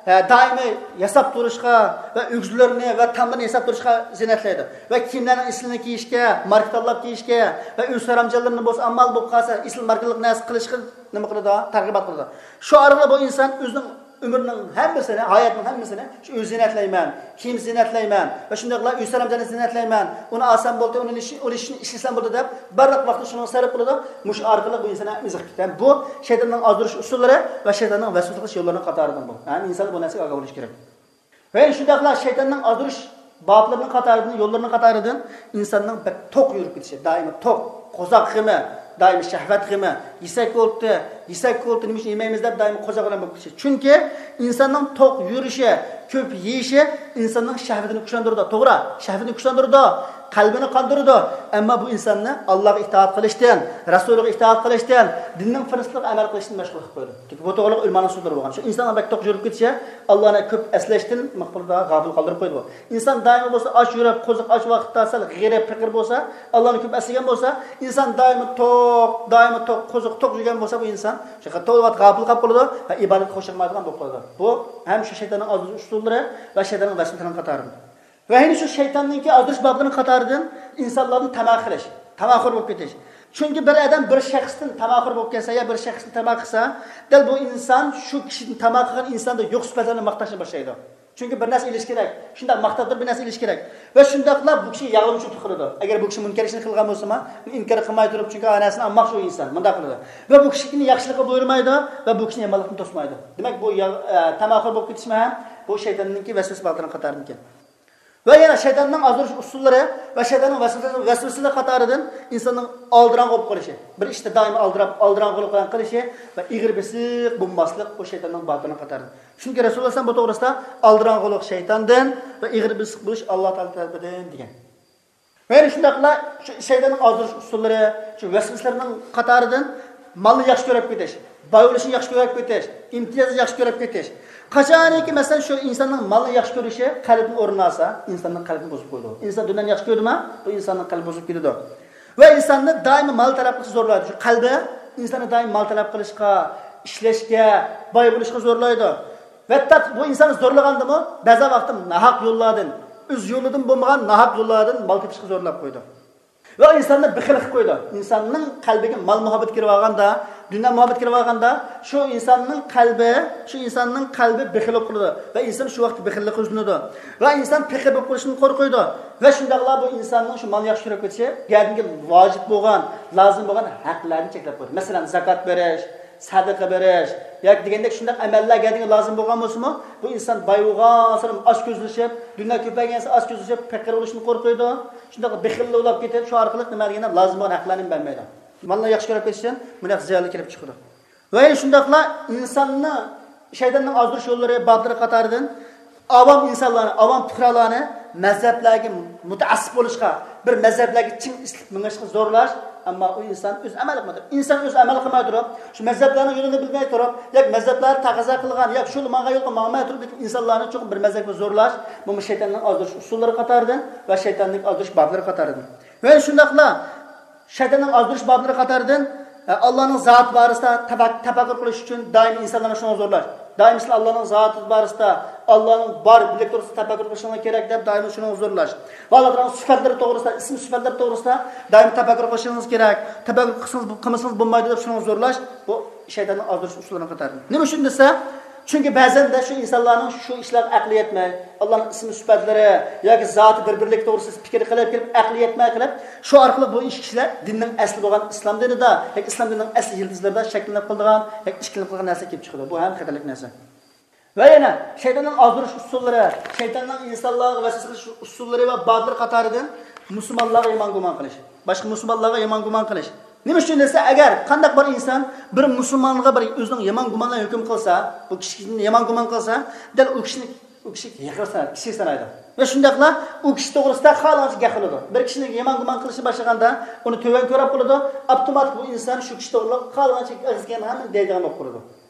ھە، دائىمىي ياساپ تۇرۇشقا ۋە ئۆگزىلىرىنى ۋە تاملىرىنى ياساپ تۇرۇشقا زىننەتلەيدۇ. ۋە كىيىملەرنىڭ ئېسىلىنى كىيىشكە، ماركا تاللاپ كىيىشكە ۋە ئۆز سەرەمجانلىرىنى بولسا ئامال بولۇپ قالسا ئېسىل ماركىلىق نەرسە قىلىشقا نېمە قىلىدۇ؟ تەرغىبات قىلىدۇ. شۇ ئارقىلىق بۇ ئىنسان ئۆزىنىڭ ئۆمرىنىڭ ھەممىسىنى، ھاياتنىڭ ھەممىسىنى شۇ ئۆي زىننەتلەيمەن، كىيىم زىننەتلەيمەن ۋە شۇنداقلا ئۆي سەرەمجانى زىننەتلەيمەن، ئۇنى ئالسام بولدى، ئۇنى ئىش-، ئۇنى ئىش-، ئىشلىسەم بولدى دەپ بارلىق ۋاقتىنى شۇنىڭغا سەرپ قىلىدۇ. مۇشۇ ئارقىلىق بۇ ئىنسان ھەم ئېزىقىپ كېتىدۇ. ھەم بۇ شەيتاننىڭ ئازدۇرۇش ئۇسۇللىرى ۋە شەيتاننىڭ ۋەسۋەسە قىلىش يوللىرىنىڭ قاتارىدىن بۇ. ھەم ئىنسان بۇ نەرسىگە ئاگاھ بولۇشى كېرەك. ۋە شۇنداقلا شەيتاننىڭ ئازدۇرۇش بابلىرىنىڭ قاتارىدىن، يوللىرىنىڭ قاتارىدىن ئىنساننىڭ بەك توق يۈرۈپ كېتىشى، دائىم توق، قورساق غېمى، دائىم شەھۋەت غېمى، يېسەك بولدى، يېسەك بولدى، نېمە ئۈچۈن يېمەيمىز دەپ دائىم قورساق بىلەن بولۇپ كېتىشى. چۈنكى ئىنساننىڭ توق يۈرۈشى، كۆپ يېيىشى ئىنساننىڭ شەھۋىتىنى كۈچلەندۈرىدۇ، توغرا، شەھۋىتىنى كۈچلەندۈرىدۇ، قەلبىنى قاندۇرىدۇ. ئەمما بۇ ئىنساننى ئاللاغا ئىتائەت قىلىشتىن، رەسۇلىغا ئىتائەت قىلىشتىن، دىننىڭ پىرىنسىپلىرىغا ئەمەل قىلىشتىن مەشغۇل قىلىپ قويىدۇ. چۈنكى بۇ توغرىلىق ئۆلىمانىڭ سۆزلىرى بولغان. شۇ ئىنساننىڭ بەك توق يۈرۈپ كېتىشى ئاللانى كۆپ ئەسلەشتىن مۇخبىردا غاپىل قالدۇرۇپ قويىدۇ. ئىنسان دائىم بولسا ئاچ يۈرۈپ، قورساق ئاچ ۋاقىتتا سەل غېرىب، پېقىر بولسا، ئاللانى كۆپ ئەسلىگەن بولسا، ئىنسان دائىم توق، دائىم توق، قورساق توق يۈرگەن بولسا، بۇ ئىنسان شۇ تولا ۋاقىت غاپىل قاپ قالىدۇ ۋە ئىبادەتكە خۇشۇ قىلمايدىغان بولۇپ قالىدۇ. بۇ ھەم شۇ شەيتاننىڭ ئازدۇرۇش ئۇسۇللىرى ۋە شەيتاننىڭ ۋەسۋەسىلىرىنىڭ قاتارىدىن. ۋە يەنە شۇ شەيتاننىڭكى ئازدۇرۇش بابلىرىنىڭ قاتارىدىن ئىنسانلاردىن تاما قىلىش، تاماخور بولۇپ كېتىش. چۈنكى بىر ئادەم بىر شەخستىن تاماخور بولۇپ كەتسە يا بىر شەخستىن تاما قىلسا، دەل بۇ ئىنسان شۇ كىشىدىن تاما قىلغان ئىنساندا يوق سۈپەتلەرنى ماختاشنى باشلايدۇ. چۈنكى بىر نەرسە ئېلىش كېرەك، شۇنداق ماختاپ تۇرۇپ بىر نەرسە ئېلىش كېرەك. ۋە شۇنداقلا بۇ كىشى ياغلىمىچىلىق قىلىدۇ. ئەگەر بۇ كىشى مۇنكەر ئىشنى قىلغان بولسىمۇ، ئۇنى ئىنكار قىلماي تۇرۇپ، چۈنكى ھەر نەرسىنى ئالماقچى ئۇ ئىنسان، مۇنداق قىلىدۇ. ۋە بۇ كىشىنى ياخشىلىققا بۇيرۇمايدۇ ۋە بۇ كىشىنى يامانلىقتىن توسمايدۇ. دېمەك، بۇ ياغ-، ئە، تاماخور بولۇپ كېتىشمۇ ھەم بۇ شەيتاننىڭكى ۋەسۋەسە بابلىرىنىڭ قاتارىدىكەن. ۋە يەنە شەيتاننىڭ ئازدۇرۇش ئۇسۇللىرى ۋە شەيتاننىڭ ۋەسۋەسە-، ۋەسۋەسىلىرى قاتارىدىن ئىنساننىڭ ئالدىراڭغۇ بولۇپ قېلىشى، بىر ئىشتا دائىم ئالدىراپ، ئالدىراڭغۇلۇق بىلەن قىلىشى ۋە ئېغىر بېسىق بولماسلىق بۇ شەيتاننىڭ بابلىرىنىڭ قاتارىدىن. چۈنكى رەسۇلۇللاھ بۇ توغرىسىدا ئالدىراڭغۇلۇق شەيتاندىن ۋە ئېغىر بېسىق بولۇش ئاللاھ تائالا تەرىپىدىن دېگەن. ۋە يەنە شۇنداقلا شۇ شەيتاننىڭ ئازدۇرۇش ئۇسۇللىرى، شۇ ۋەسۋەسىلىرىنىڭ قاتارىدىن مالنى ياخشى كۆرۈپ كېتىش، باي بولۇشنى ياخشى كۆرۈپ كېتىش، ئىمتىيازنى ياخشى كۆرۈپ كېتىش. قاچانكى، مەسىلەن، شۇ ئىنساننىڭ مالنى ياخشى كۆرۈشى قەلبنى ئورۇن ئالسا، ئىنساننىڭ قەلبىنى بۇزۇپ قويىدۇ. ئىنسان دۇنيانى ياخشى كۆردىمۇ، بۇ ئىنساننىڭ قەلبى بۇزۇلۇپ كېتىدۇ. ۋە ئىنساننى دائىم مال تەلەپ قىلىشقا زورلايدۇ. شۇ قەلبى ئىنساننى دائىم مال تەلەپ قىلىشقا، ئىشلەشكە، باي بولۇشقا زورلايدۇ. ۋە تاپ بۇ ئىنساننى زورلىغاندىمۇ، بەزى ۋاقىتتا ناھەق يوللاردىن، ئۆز يولىدىن بولمىغان ناھەق يوللاردىن مال تېپىشقا زورلاپ قويىدۇ. ۋە ئىنساننى بېخىل قىلىپ قويىدۇ. ئىنساننىڭ قەلبىگە مال مۇھەببىتى كىرىپ ئالغاندا، دۇنيا مۇھەببىتى كىرىپ ئالغاندا، شۇ ئىنساننىڭ قەلبى، شۇ ئىنساننىڭ قەلبى بېخىل بولۇپ قالىدۇ. ۋە ئىنسان شۇ ۋاقىتتا بېخىللىققا يۈزلىنىدۇ. ۋە ئىنسان پېقىر بولۇپ قېلىشتىن قورقىدۇ. ۋە شۇنداقلا بۇ ئىنساننىڭ شۇ مالنى ياخشى كۆرۈپ كېتىشى، گەدىنىگە ۋاجىپ بولغان، لازىم بولغان ھەقلەرنى چەكلەپ قويىدۇ. مەسىلەن، زاكات بېرىش، سەدىقە بېرىش ياكى دېگەندەك شۇنداق ئەمەللەر گەدىنىگە لازىم بولغان بولسىمۇ، بۇ ئىنسان باي بولغانسېرى ئاچكۆزلىشىپ، دۇنيا كۆپەيگەنسېرى ئاچكۆزلىشىپ، پېقىر بولۇشتىن قورقىدۇ. شۇنداق بېخىللىق بولۇپ كېتىپ، شۇ ئارقىلىق نېمە دېگەندە لازىم بولغان ھەقلەرنى بەرمەيدۇ. مالنى ياخشى كۆرۈپ كېتىشتىن بۇنداق زىيانلار كېلىپ چىقىدۇ. ۋە يەنە شۇنداقلا ئىنساننى شەيتاننىڭ ئازدۇرۇش يوللىرى، بابلىرى قاتارىدىن ئاۋام ئىنسانلارنى، ئاۋام پۇقرالارنى مەزھەپلەرگە مۇتەئەسسىپ بولۇشقا، بىر مەزھەپلەرگە چىڭ ئېسىلىپ مېڭىشقا زورلاش، ئەمما ئۇ ئىنسان ئۆزى ئەمەل قىلماي تۇرۇپ، ئىنسان ئۆزى ئەمەل قىلماي تۇرۇپ، شۇ مەزھەپلەرنىڭ يولىنى بىلمەي تۇرۇپ، ياكى مەزھەپلەر تەقەززا قىلغان، ياكى شۇ ماڭغان يولغا ماڭماي تۇرۇپ، لېكىن ئىنسانلارنى چوقۇم بىر مەزھەپكە زورلاش، بۇمۇ شەيتاننىڭ ئازدۇرۇش ئۇسۇللىرى قاتارىدىن ۋە شەيتاننىڭ ئازدۇرۇش بابلىرى قاتارىدىن. ۋە شۇنداقلا شەيتاننىڭ ئازدۇرۇش بابلىرى قاتارىدىن، ئە، ئاللانىڭ زاتى بارىسىدا تەپەك-، تەپەككۇر قىلىش ئۈچۈن دائىم ئىنسانلارنى شۇنىڭغا زورلاش. دائىم سىلەر ئاللانىڭ زاتى بارىسىدا، ئاللانىڭ بار، بىرلىك توغرىسىدا تەپەككۇر قىلىشىڭلار كېرەك دەپ دائىم شۇنىڭغا زورلاش. ۋە ئاللا تائالانىڭ سۈپەتلىرى توغرىسىدا، ئىسىم سۈپەتلىرى توغرىسىدا دائىم تەپەككۇر قىلىشىڭىز كېرەك. تەپەككۇر قىلسىڭىز، قىلمىسىڭىز بولمايدۇ دەپ شۇنىڭغا زورلاش. بۇ شەيتاننىڭ ئازدۇرۇش ئۇسۇللىرىنىڭ قاتارىدىن. نېمە ئۈچۈن دېسە، چۈنكى بەزەندە شۇ ئىنسانلارنىڭ شۇ ئىشلارغا ئەقلى يەتمەي، ئاللانىڭ ئىسمى سۈپەتلىرى ياكى زاتى بىر-بىرلىكى توغرىسىدا پىكىر قىلىپ كېلىپ، ئەقلى يەتمەي قېلىپ، شۇ ئارقىلىق بۇ ئىش كىشىلەر دىننىڭ ئەسلى بولغان ئىسلام دىنىدا ياكى ئىسلام دىنىنىڭ ئەسلى يىلتىزلىرىدا شەكلىنىپ قالىدىغان ياكى ئىككىلىنىپ قالغان نەرسە كېلىپ چىقىدۇ. بۇ ھەم خەتەرلىك نەرسە. ۋە يەنە شەيتاننىڭ ئازدۇرۇش ئۇسۇللىرى، شەيتاننىڭ ئىنسانلارغا ۋەسۋەسە قىلىش ئۇسۇللىرى ۋە بابلىرى قاتارىدىن مۇسۇلمانلارغا يامان گۇمان قىلىش، باشقا مۇسۇلمانلارغا يامان گۇمان قىلىش. نېمە ئۈچۈن دېسە، ئەگەر قانداق بىر ئىنسان بىر مۇسۇلمانغا بىر ئۆزىنىڭ يامان گۇمان بىلەن ھۆكۈم قىلسا، بۇ كىشىنى يامان گۇمان قىلسا، دەل ئۇ كىشىنى، ئۇ كىشىگە ھېقىر سانايدۇ، كىشىلىك سانايدۇ. ۋە شۇنداقلا ئۇ كىشى توغرىسىدا خالىغانچە گەپ قىلىدۇ. بىر كىشىنى يامان گۇمان قىلىشنى باشلىغاندا، ئۇنى تۆۋەن كۆرۈپ قالىدۇ، ئاپتوماتىك بۇ ئىنسان شۇ كىشى توغرىلىق خالىغانچە ئەگىزگەن ھەممىنى دەيدىغان بولۇپ قالىدۇ.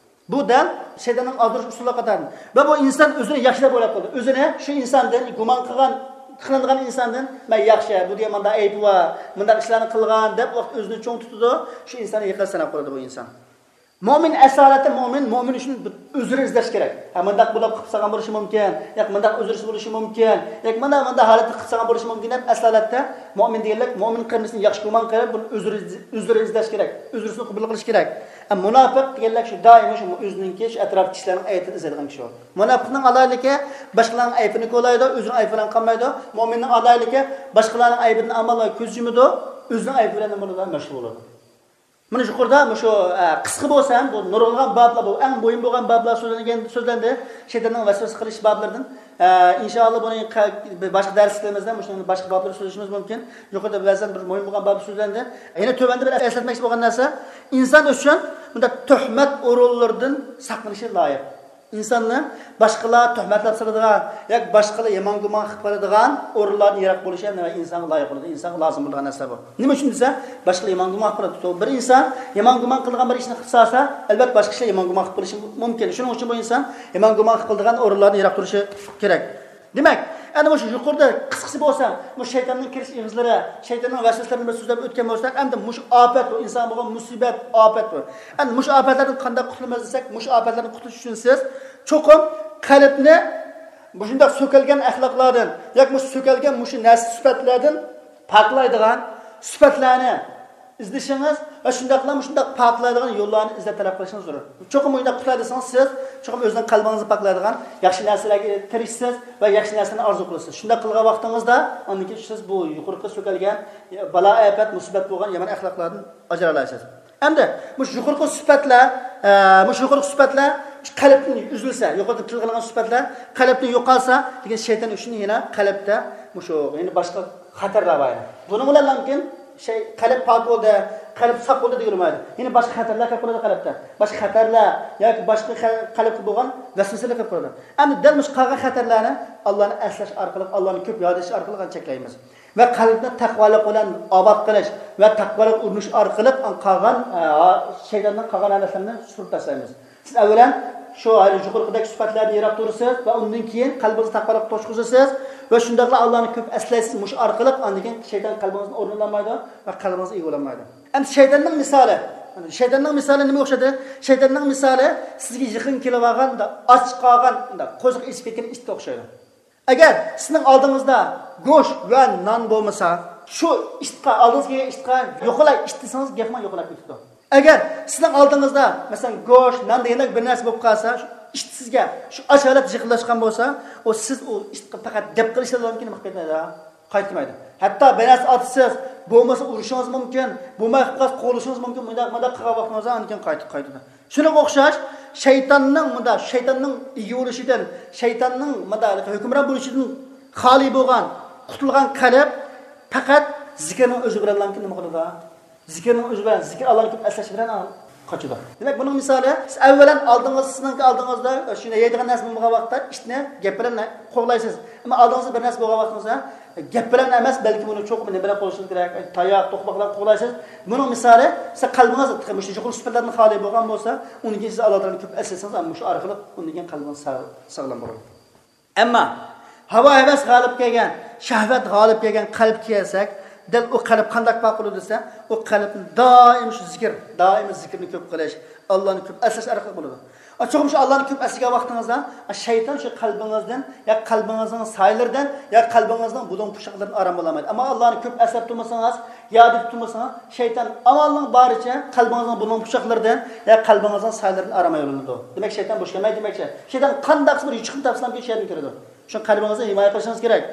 بۇ دەل شەيتاننىڭ ئازدۇرۇش ئۇسۇلى قاتارىدىن. ۋە بۇ ئىنسان ئۆزىنى ياخشى دەپ ئويلاپ قالىدۇ. ئۆزىنى شۇ ئىنساندىن گۇمان قىلغان، قىلىنغان ئىنساندىن، مەن ياخشى، بۇ دېگەن مانداق ئەيىبى بار، مۇنداق ئىشلارنى قىلغان دەپ ۋاقىت ئۆزىنى چوڭ تۇتىدۇ، شۇ ئىنساننى ھېقىر ساناپ قالىدۇ بۇ ئىنسان. مۆمىن، ئەسالەتتە مۆمىن، مۆمىن ئۈچۈن بىر ئۆزرى ئىزدەش كېرەك. ھە، مۇنداق بولۇپ قىلىپ سالغان بولۇشى مۇمكىن، ياكى مۇنداق ئۆزرىسى بولۇشى مۇمكىن، ياكى مانا مۇنداق ھالەتتە قىلىپ سالغان بولۇشى مۇمكىن دەپ، ئەسالەتتە مۆمىن دېگەنلىك مۆمىن قېرىندىشىنى ياخشى گۇمان قىلىپ، بۇنى ئۆزرى، ئۆزرى ئىزدەش كېرەك، ئۆزرىسىنى قوبۇل قىلىش كېرەك. ئە، مۇناپىق دېگەنلىك شۇ دائىم شۇ ئۆزىنىڭكى شۇ ئەتراپتىكى كىشىلەرنىڭ ئەيىبىنى ئىزدەيدىغان كىشى ئۇ. مۇناپىقنىڭ ئالاھىدىلىكى باشقىلارنىڭ ئەيىبىنى كولايدۇ، ئۆزىنىڭ ئەيىبى بىلەن قالمايدۇ. مۆمىننىڭ ئالاھىدىلىكى باشقىلارنىڭ ئەيىبىدىن ئامال ۋە كۆز يۇمىدۇ، ئۆزىنىڭ ئەيىبى بىلەن نېمە بولىدۇ؟ مەشغۇل بولىدۇ. مانا يۇقىرىدا مۇشۇ، ئە، قىسقا بولسا ھەم بۇ نۇرغۇنلىغان بابلار، بۇ ئەڭ مۇھىم بولغان بابلار سۆزلەنگەن، سۆزلەندى. شەيتاننىڭ ۋەسۋەسە قىلىش بابلىرىدىن. ئە، ئىنشائاللا بۇنى قە-، باشقا دەرسلىرىمىزدە مۇشۇ باشقا بابلار سۆزلىشىمىز مۇمكىن. يۇقىرىدا بەزەن بىر مۇھىم بولغان باب سۆزلەندى. يەنە تۆۋەندە بىر ئەسلەتمەكچى بولغان نەرسە، ئىنسان ئۈچۈن بۇنداق تۆھمەت ئورۇنلىرىدىن ساقلىنىشى لايىق. ئىنساننى باشقىلار تۆھمەتلەپ سالىدىغان ياكى باشقىلار يامان گۇمان قىلىپ قالىدىغان ئورۇنلاردىن يىراق بولۇشى ھەم ئىنسانغا لايىق بولىدۇ، ئىنسانغا لازىم بولىدىغان نەرسە بۇ. نېمە ئۈچۈن دېسە، باشقىلار يامان گۇمان قىلىپ قالىدۇ. بىر ئىنسان يامان گۇمان قىلىدىغان بىر ئىشنى قىلىپ سالسا، ئەلۋەتتە باشقا كىشىلەر يامان گۇمان قىلىپ قېلىشى مۇمكىن. شۇنىڭ ئۈچۈن بۇ ئىنسان يامان گۇمان قىلىدىغان ئورۇنلاردىن يىراق تۇرۇشى كېرەك. دېمەك، ئەنە مۇشۇ يۇقىرىدا قىسقىسى بولسا، مۇشۇ شەيتاننىڭ كىرىش ئېغىزلىرى، شەيتاننىڭ ۋەسۋەسىلىرىنى بىر سۆزلەپ ئۆتكەن بولساق، ئەمدى مۇشۇ ئاپەت بۇ، ئىنسان بولغان مۇسىبەت، ئاپەت بۇ. ئەمدى مۇشۇ ئاپەتلەردىن قانداق قۇتۇلىمىز دېسەك، مۇشۇ ئاپەتلەردىن قۇتۇلۇش ئۈچۈن سىز چوقۇم قەلبنى مۇشۇنداق سۆكەلگەن ئەخلاقلاردىن ياكى مۇشۇ سۆكەلگەن مۇشۇ نەرسە سۈپەتلەردىن پاكلايدىغان سۈپەتلەرنى ئىزدىشىڭىز ۋە شۇنداقلا مۇشۇنداق پاكلايدىغان يوللارنى ئىزدەپ تەلەپ قىلىشىڭىز زۆرۈر. چوقۇم مۇشۇنداق قۇتۇلاي دېسىڭىز، سىز چوقۇم ئۆزىنىڭ قەلبىڭىزنى پاكلايدىغان ياخشى نەرسىلەرگە تىرىشىسىز ۋە ياخشى نەرسىلەرنى ئارزۇ قىلىسىز. شۇنداق قىلغان ۋاقتىڭىزدا ئاندىن كېيىن سىز بۇ يۇقىرىقى سۆكەلگەن بالا ئاپەت، مۇسىبەت بولغان يامان ئەخلاقلاردىن ئاجرالايسىز. ئەمدى مۇشۇ يۇقىرىقى سۈپەتلەر، ئە، مۇشۇ يۇقىرىقى سۈپەتلەر قەلبتىن ئۈزۈلسە، يۇقىرىدا تىلغا ئالغان سۈپەتلەر قەلبتىن يوقالسا، لېكىن شەيتان ئۈچۈن يەنە قەلبتە مۇشۇ يەنە باشقا خەتەرلەر بار. بۇنىڭ بىلەن لېكىن شەي-، قەلب پاك بولدى، قەلب ساق بولدى دېگىلى بولمايدۇ. يەنە باشقا خەتەرلەر كەپ قالىدۇ قەلبتە. باشقا خەتەرلەر ياكى باشقا خە-، قەلبكە بولغان ۋەسۋەسىلەر كەپ قالىدۇ. ئەمدى دەل مۇشۇ قالغان خەتەرلەرنى ئاللانى ئەسلەش ئارقىلىق، ئاللانى كۆپ ياد ئېتىش ئارقىلىق چەكلەيمىز. ۋە قەلبنى تەقۋالىق بىلەن ئاباد قىلىش ۋە تەقۋالىق ئۇرۇنۇش ئارقىلىق قالغان، ئە، شەيتاننىڭ قالغان ھالەتلىرىنى سۈرۈپ تاشلايمىز. سىز ئەۋۋەلەن شۇ يۇقىرىقىدەك سۈپەتلەردىن يىراق تۇرىسىز ۋە ئۇندىن كېيىن قەلبىڭىزنى تەقۋالىققا توشقۇزىسىز ۋە شۇنداقلا ئاللانى كۆپ ئەسلەيسىز. مۇشۇ ئارقىلىق ئاندىن كېيىن شەيتان قەلبىڭىزدىن ئورۇن ئالالمايدۇ ۋە قەلبىڭىز ئىگە بولالمايدۇ. ئەمدى شەيتاننىڭ مىسالى، شەيتاننىڭ مىسالى نېمىگە ئوخشىدى؟ شەيتاننىڭ مىسالى سىزگە يېقىن كېلىۋالغان، ئاچ قالغان، قورسىقى ئېچىپ كەتكەن ئىتكە ئوخشايدۇ. ئەگەر سىزنىڭ ئالدىڭىزدا گۆش ۋە نان بولمىسا، شۇ ئىتقا، ئالدىڭىزغا كەلگەن ئىتقا، يوقىلاي ئىت دېسىڭىز، گەپمۇ يوقىلاپ كېتىدۇ. ئەگەر سىزنىڭ ئالدىڭىزدا، مەسىلەن، گۆش، نان دېگەندەك بىر نەرسە بولۇپ قالسا، شۇ ئىت سىزگە شۇ ئاچ ھالەتتە يېقىنلاشقان بولسا، ئۇ سىز ئۇ ئىتقا پەقەت دەپ قىلىشلا بىلەن كېيىن قايتمايدۇ. قايتمايدۇ. ھەتتا بىر نەرسە ئاتىسىز، بولمىسا ئۇرۇشىڭىز مۇمكىن، بولماي قالسا قوغلىشىڭىز مۇمكىن، مۇنداق، مۇنداق قىلغان ۋاقتىڭىزدا ئاندىن كېيىن قايتىپ قايتىدۇ. شۇنىڭغا ئوخشاش، شەيتاننىڭ، مۇنداق، شەيتاننىڭ ئىگە بولۇشىدىن، شەيتاننىڭ، مۇنداق، ھۆكۈمران بولۇشىدىن خالىي بولغان، قۇتۇلغان قەلب پەقەت زىكىرنىڭ ئۆزى بىلەنلا نېمە قىلىدۇ؟ زىكىرنىڭ ئۆزى بىلەن، زىكىر، ئاللانى كۆپ ئەسلەش بىلەن قاچىدۇ. دېمەك، بۇنىڭ مىسالى، سىز ئەۋۋەلەن ئالدىڭىز، سىزنىڭكى ئالدىڭىزدا شۇ يەيدىغان نەرسە بولمىغان ۋاقىتتا ئىتنى گەپ بىلەن قوغلايسىز. ئەمما ئالدىڭىزدا بىر نەرسە بولغان ۋاقتىڭىزدا گەپ بىلەن ئەمەس، بەلكى بۇنى چوقۇم نېمە بىلەن قوغلىشىڭىز كېرەك؟ تاياق، توقماق بىلەن قوغلايسىز. بۇنىڭ مىسالى، سىز قەلبىڭىز تېخى مۇشۇ يۇقىرى سۈپەتلەردىن خالىي بولغان بولسا، ئۇنىڭ كېيىن سىز ئاللا تائالانى كۆپ ئەسلىسىڭىز، مۇشۇ ئارقىلىق ئۇنىڭ كېيىن قەلبىڭىز ساغ-، ساغلام بولىدۇ. ئەمما ھاۋا ھەۋەس غالىب كەلگەن، شەھۋەت غالىب كەلگەن قەلبكە كەلسەك، دەل ئۇ قەلب قانداق پاك بولىدۇ دېسە، ئۇ قەلبنى دائىم شۇ زىكىر، دائىم زىكىرنى كۆپ قىلىش، ئاللانى كۆپ ئەسلەش ئارقىلىق بولىدۇ. چوقۇم شۇ ئاللانى كۆپ ئەسلىگەن ۋاقتىڭىزدا، شەيتان شۇ قەلبىڭىزدىن، يا قەلبىڭىزنىڭ سايىلىرىدىن، يا قەلبىڭىزنىڭ بۇلۇڭ پۇچاقلىرىدىن ئارام ئالالمايدۇ. ئەمما ئاللانى كۆپ ئەسلەپ تۇرمىسىڭىز، ياد ئېتىپ تۇرمىسىڭىز، شەيتان ئامالنىڭ بارىچە قەلبىڭىزنىڭ بۇلۇڭ پۇچاقلىرىدىن، يا قەلبىڭىزنىڭ سايىلىرىدىن ئارام ئايرىلىدۇ. دېمەك، شەيتان بوش كەلمەيدۇ دېمەكچى. شەيتان قانداقسا بىر يوچۇقنى تاپسىلا شۇ يەردىن كىرىدۇ. شۇ قەلبىڭىزنى ھىمايە قىلىشىڭىز كېرەك.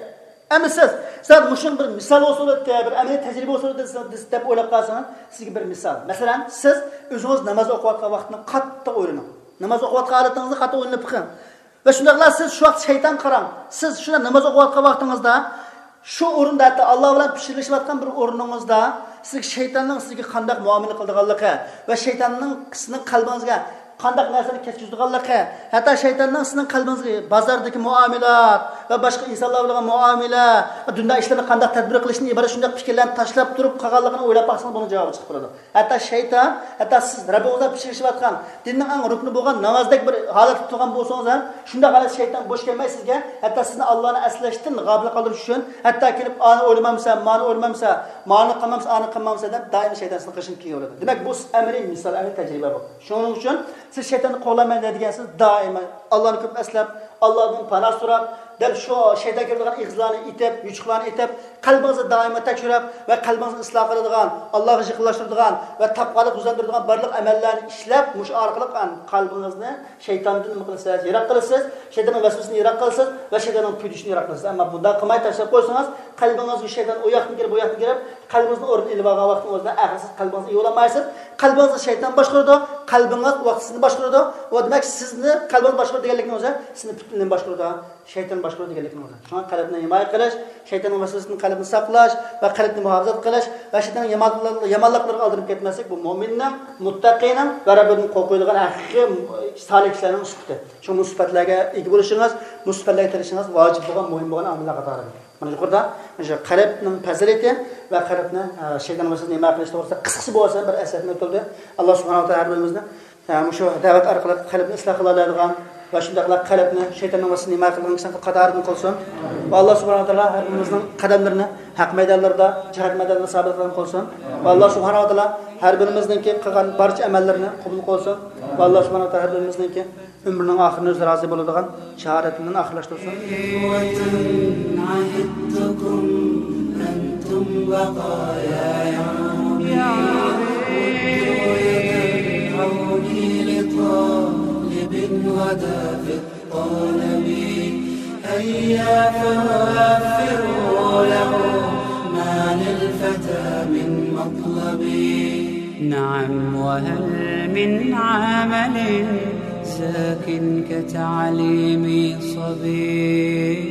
ئەمدى سىز، سىز مۇشۇنىڭ بىر مىسال بولسا بولاتتى، بىر ئەمەلىي تەجرىبە بولسا بولاتتى دەپ ئويلاپ قالسىڭىز، سىزگە بىر مىسال. مەسىلەن، سىز ئۆزىڭىز ناماز ئوقۇۋاتقان ۋاقىتنى قاتتىق ئويلىنىڭ. ناماز ئوقۇۋاتقان ھالىتىڭىزنى قاتتىق ئويلىنىپ بېقىڭ. ۋە شۇنداقلا سىز شۇ ۋاقىت شەيتان قاراڭ. سىز شۇنداق ناماز ئوقۇۋاتقان ۋاقتىڭىزدا، شۇ ئورۇندا، ھەتتا ئاللا بىلەن پىچىرلىشىۋاتقان بىر ئورنىڭىزدا، سىزگە شەيتاننىڭ سىزگە قانداق مۇئامىلە قىلىدىغانلىقى ۋە شەيتاننىڭ سىزنىڭ قەلبىڭىزگە قانداق نەرسىنى كەتكۈزىدىغانلىقى، ھەتتا شەيتاننىڭ سىزنىڭ قەلبىڭىزگە بازاردىكى مۇئامىلات ۋە باشقا ئىنسانلار بىلەن مۇئامىلە، دۇنيا ئىشلىرىنى قانداق تەدبىر قىلىشتىن ئىبارەت شۇنداق پىكىرلەرنى تاشلاپ تۇرۇپ قالغانلىقىنى ئويلاپ باقسىڭىز، بۇنىڭ جاۋابى چىقىپ تۇرىدۇ. ھەتتا شەيتان، ھەتتا سىز رەببىڭىز بىلەن پىچىرلىشىۋاتقان، دىننىڭ ئەڭ رۇكنى بولغان نامازدەك بىر ھالەتتە تۇرغان بولسىڭىز ھەم، شۇنداق ھالەتتە شەيتان بوش كەلمەي سىزگە، ھەتتا سىزنى ئاللانى ئەسلەشتىن غاپىل قالدۇرۇش ئۈچۈن، ھەتتا كېلىپ، ئانى ئويلىمامسەن، مانى ئويلىمامسەن، مانى قىلمامسەن، ئانى قىلمامسەن دەپ، دائىم شەيتان سىزنىڭ قېشىڭىزدا كېلىۋېرىدۇ. دېمەك، بۇ ئەمەلىي مىسال، ئەمەلىي تەجرىبە بۇ. شۇنىڭ ئۈچۈن سىز شەيتاننى قوغلايمەن دەيدىكەنسىز، دائىم ئاللانى كۆپ ئەسلەپ، ئاللادىن پاناھ سوراپ، دەل شۇ شەيتان كىرىدىغان ئېغىزلارنى ئېتىپ، يوچۇقلارنى ئېتىپ، قەلبىڭىزنى دائىما تەكشۈرۈپ ۋە قەلبىڭىزنى ئىسلاھ قىلىدىغان، ئاللاغا يېقىنلاشتۇرىدىغان ۋە تەقۋالىق يۈزلەندۈرىدىغان بارلىق ئەمەللەرنى ئىشلەپ، مۇشۇ ئارقىلىق قەلبىڭىزنى شەيتاندىن نېمە قىلىسىز؟ يىراق قىلىسىز، شەيتاننىڭ ۋەسۋەسىسىنى يىراق قىلىسىز ۋە شەيتاننىڭ پۈتۈشىنى يىراق قىلىسىز. ئەمما بۇنداق قىلماي تاشلاپ قويسىڭىز، قەلبىڭىزگە شەيتان ئۇ ياقتىن كىرىپ، بۇ ياقتىن كىرىپ، قەلبىڭىزنى ئورنىدىن ئېلىپ ئالغان ۋاقتىڭىزدا ئەخىرسىز قەلبىڭىزگە ئىگە بولالمايسىز. قەلبىڭىزنى شەيتان باشقۇرىدۇ، قەلبىڭىز ۋاقتى سىزنى باشقۇرىدۇ. ئۇ دېمەك، سىزنى قەلبىڭىز باشقۇرىدۇ دېگەنلىكنىڭ ئۆزى سىزنى پۈتۈنلەي باشقۇرىدۇ. شەيتان باشقۇرىدۇ دېگەنلىكنىڭ ئۆزى. شۇڭا قەلبنى ھىمايە قىلىش، شەيتاننىڭ ۋەسۋەسىدىن قەلبنى ساقلاش ۋە قەلبنى مۇھاپىزەت قىلىش ۋە شەيتاننىڭ يامان-، يامانلىقلىرىغا ئالدىنىپ كەتمەسلىك، بۇ مۆمىننىڭ، مۇتتەقىنىڭ ۋە رەببىدىن قورقىدىغان ھەقىقىي سالىھ كىشىلەرنىڭ سۈپىتى. شۇڭا بۇ سۈپەتلەرگە ئىگە بولۇشىڭىز، بۇ سۈپەتلەرگە تىرىشىشىڭىز ۋاجىپ بولغان، مۇھىم بولغان ئامىللار قاتارىدىن. مانا يۇقىرىدا مۇشۇ قەلبنىڭ پەزىلىتى ۋە قەلبنى، ئە، شەيتان ۋەسۋەسىدىن ھىمايە قىلىش توغرىسىدا قىسقىچە بولسا بىر ئەسلەتمە ئۆتۈلدى. ئاللا سۇبھانەھۇ ۋە تائالا ھەر بىرىمىزنى، ئە، مۇشۇ دەۋەت ئارقىلىق قەلبنى ئىسلاھ قىلالايدىغان ۋە شۇنداقلا قەلبنى شەيتاننىڭ ۋەسۋەسىدىن ھىمايە قىلىدىغان كىشىلەرنىڭ قاتارىدىن قىلسۇن. ۋە ئاللا سۇبھانەھۇ ۋە تائالا ھەر بىرىمىزنىڭ قەدەملىرىنى ھەق مەيدانلىرىدا، جىھاد مەيدانلىرىدا سابىت قىلغان قىلسۇن. ۋە ئاللا سۇبھانەھۇ ۋە تائالا ھەر بىرىمىزنىڭكى قىلغان بارچە ئەمەللىرىنى قوبۇل قىلسۇن. ۋە ئاللا سۇبھانەھۇ ۋە تائالا ھەر بىرىمىزنىڭكى ئۆمرىنىڭ ئاخىرىنى ئۆزى رازى بولىدىغان شاھادەتىنى ئاخىرلاشتۇرسۇن. إخوة عهدتكم أنتم بقايا يومي. ردوا يد العون لطالب غدا في الطلب. هيا فوفروا له ما للفتى من مطلب. نعم، وهل من عمل زاك كتعليم صبي؟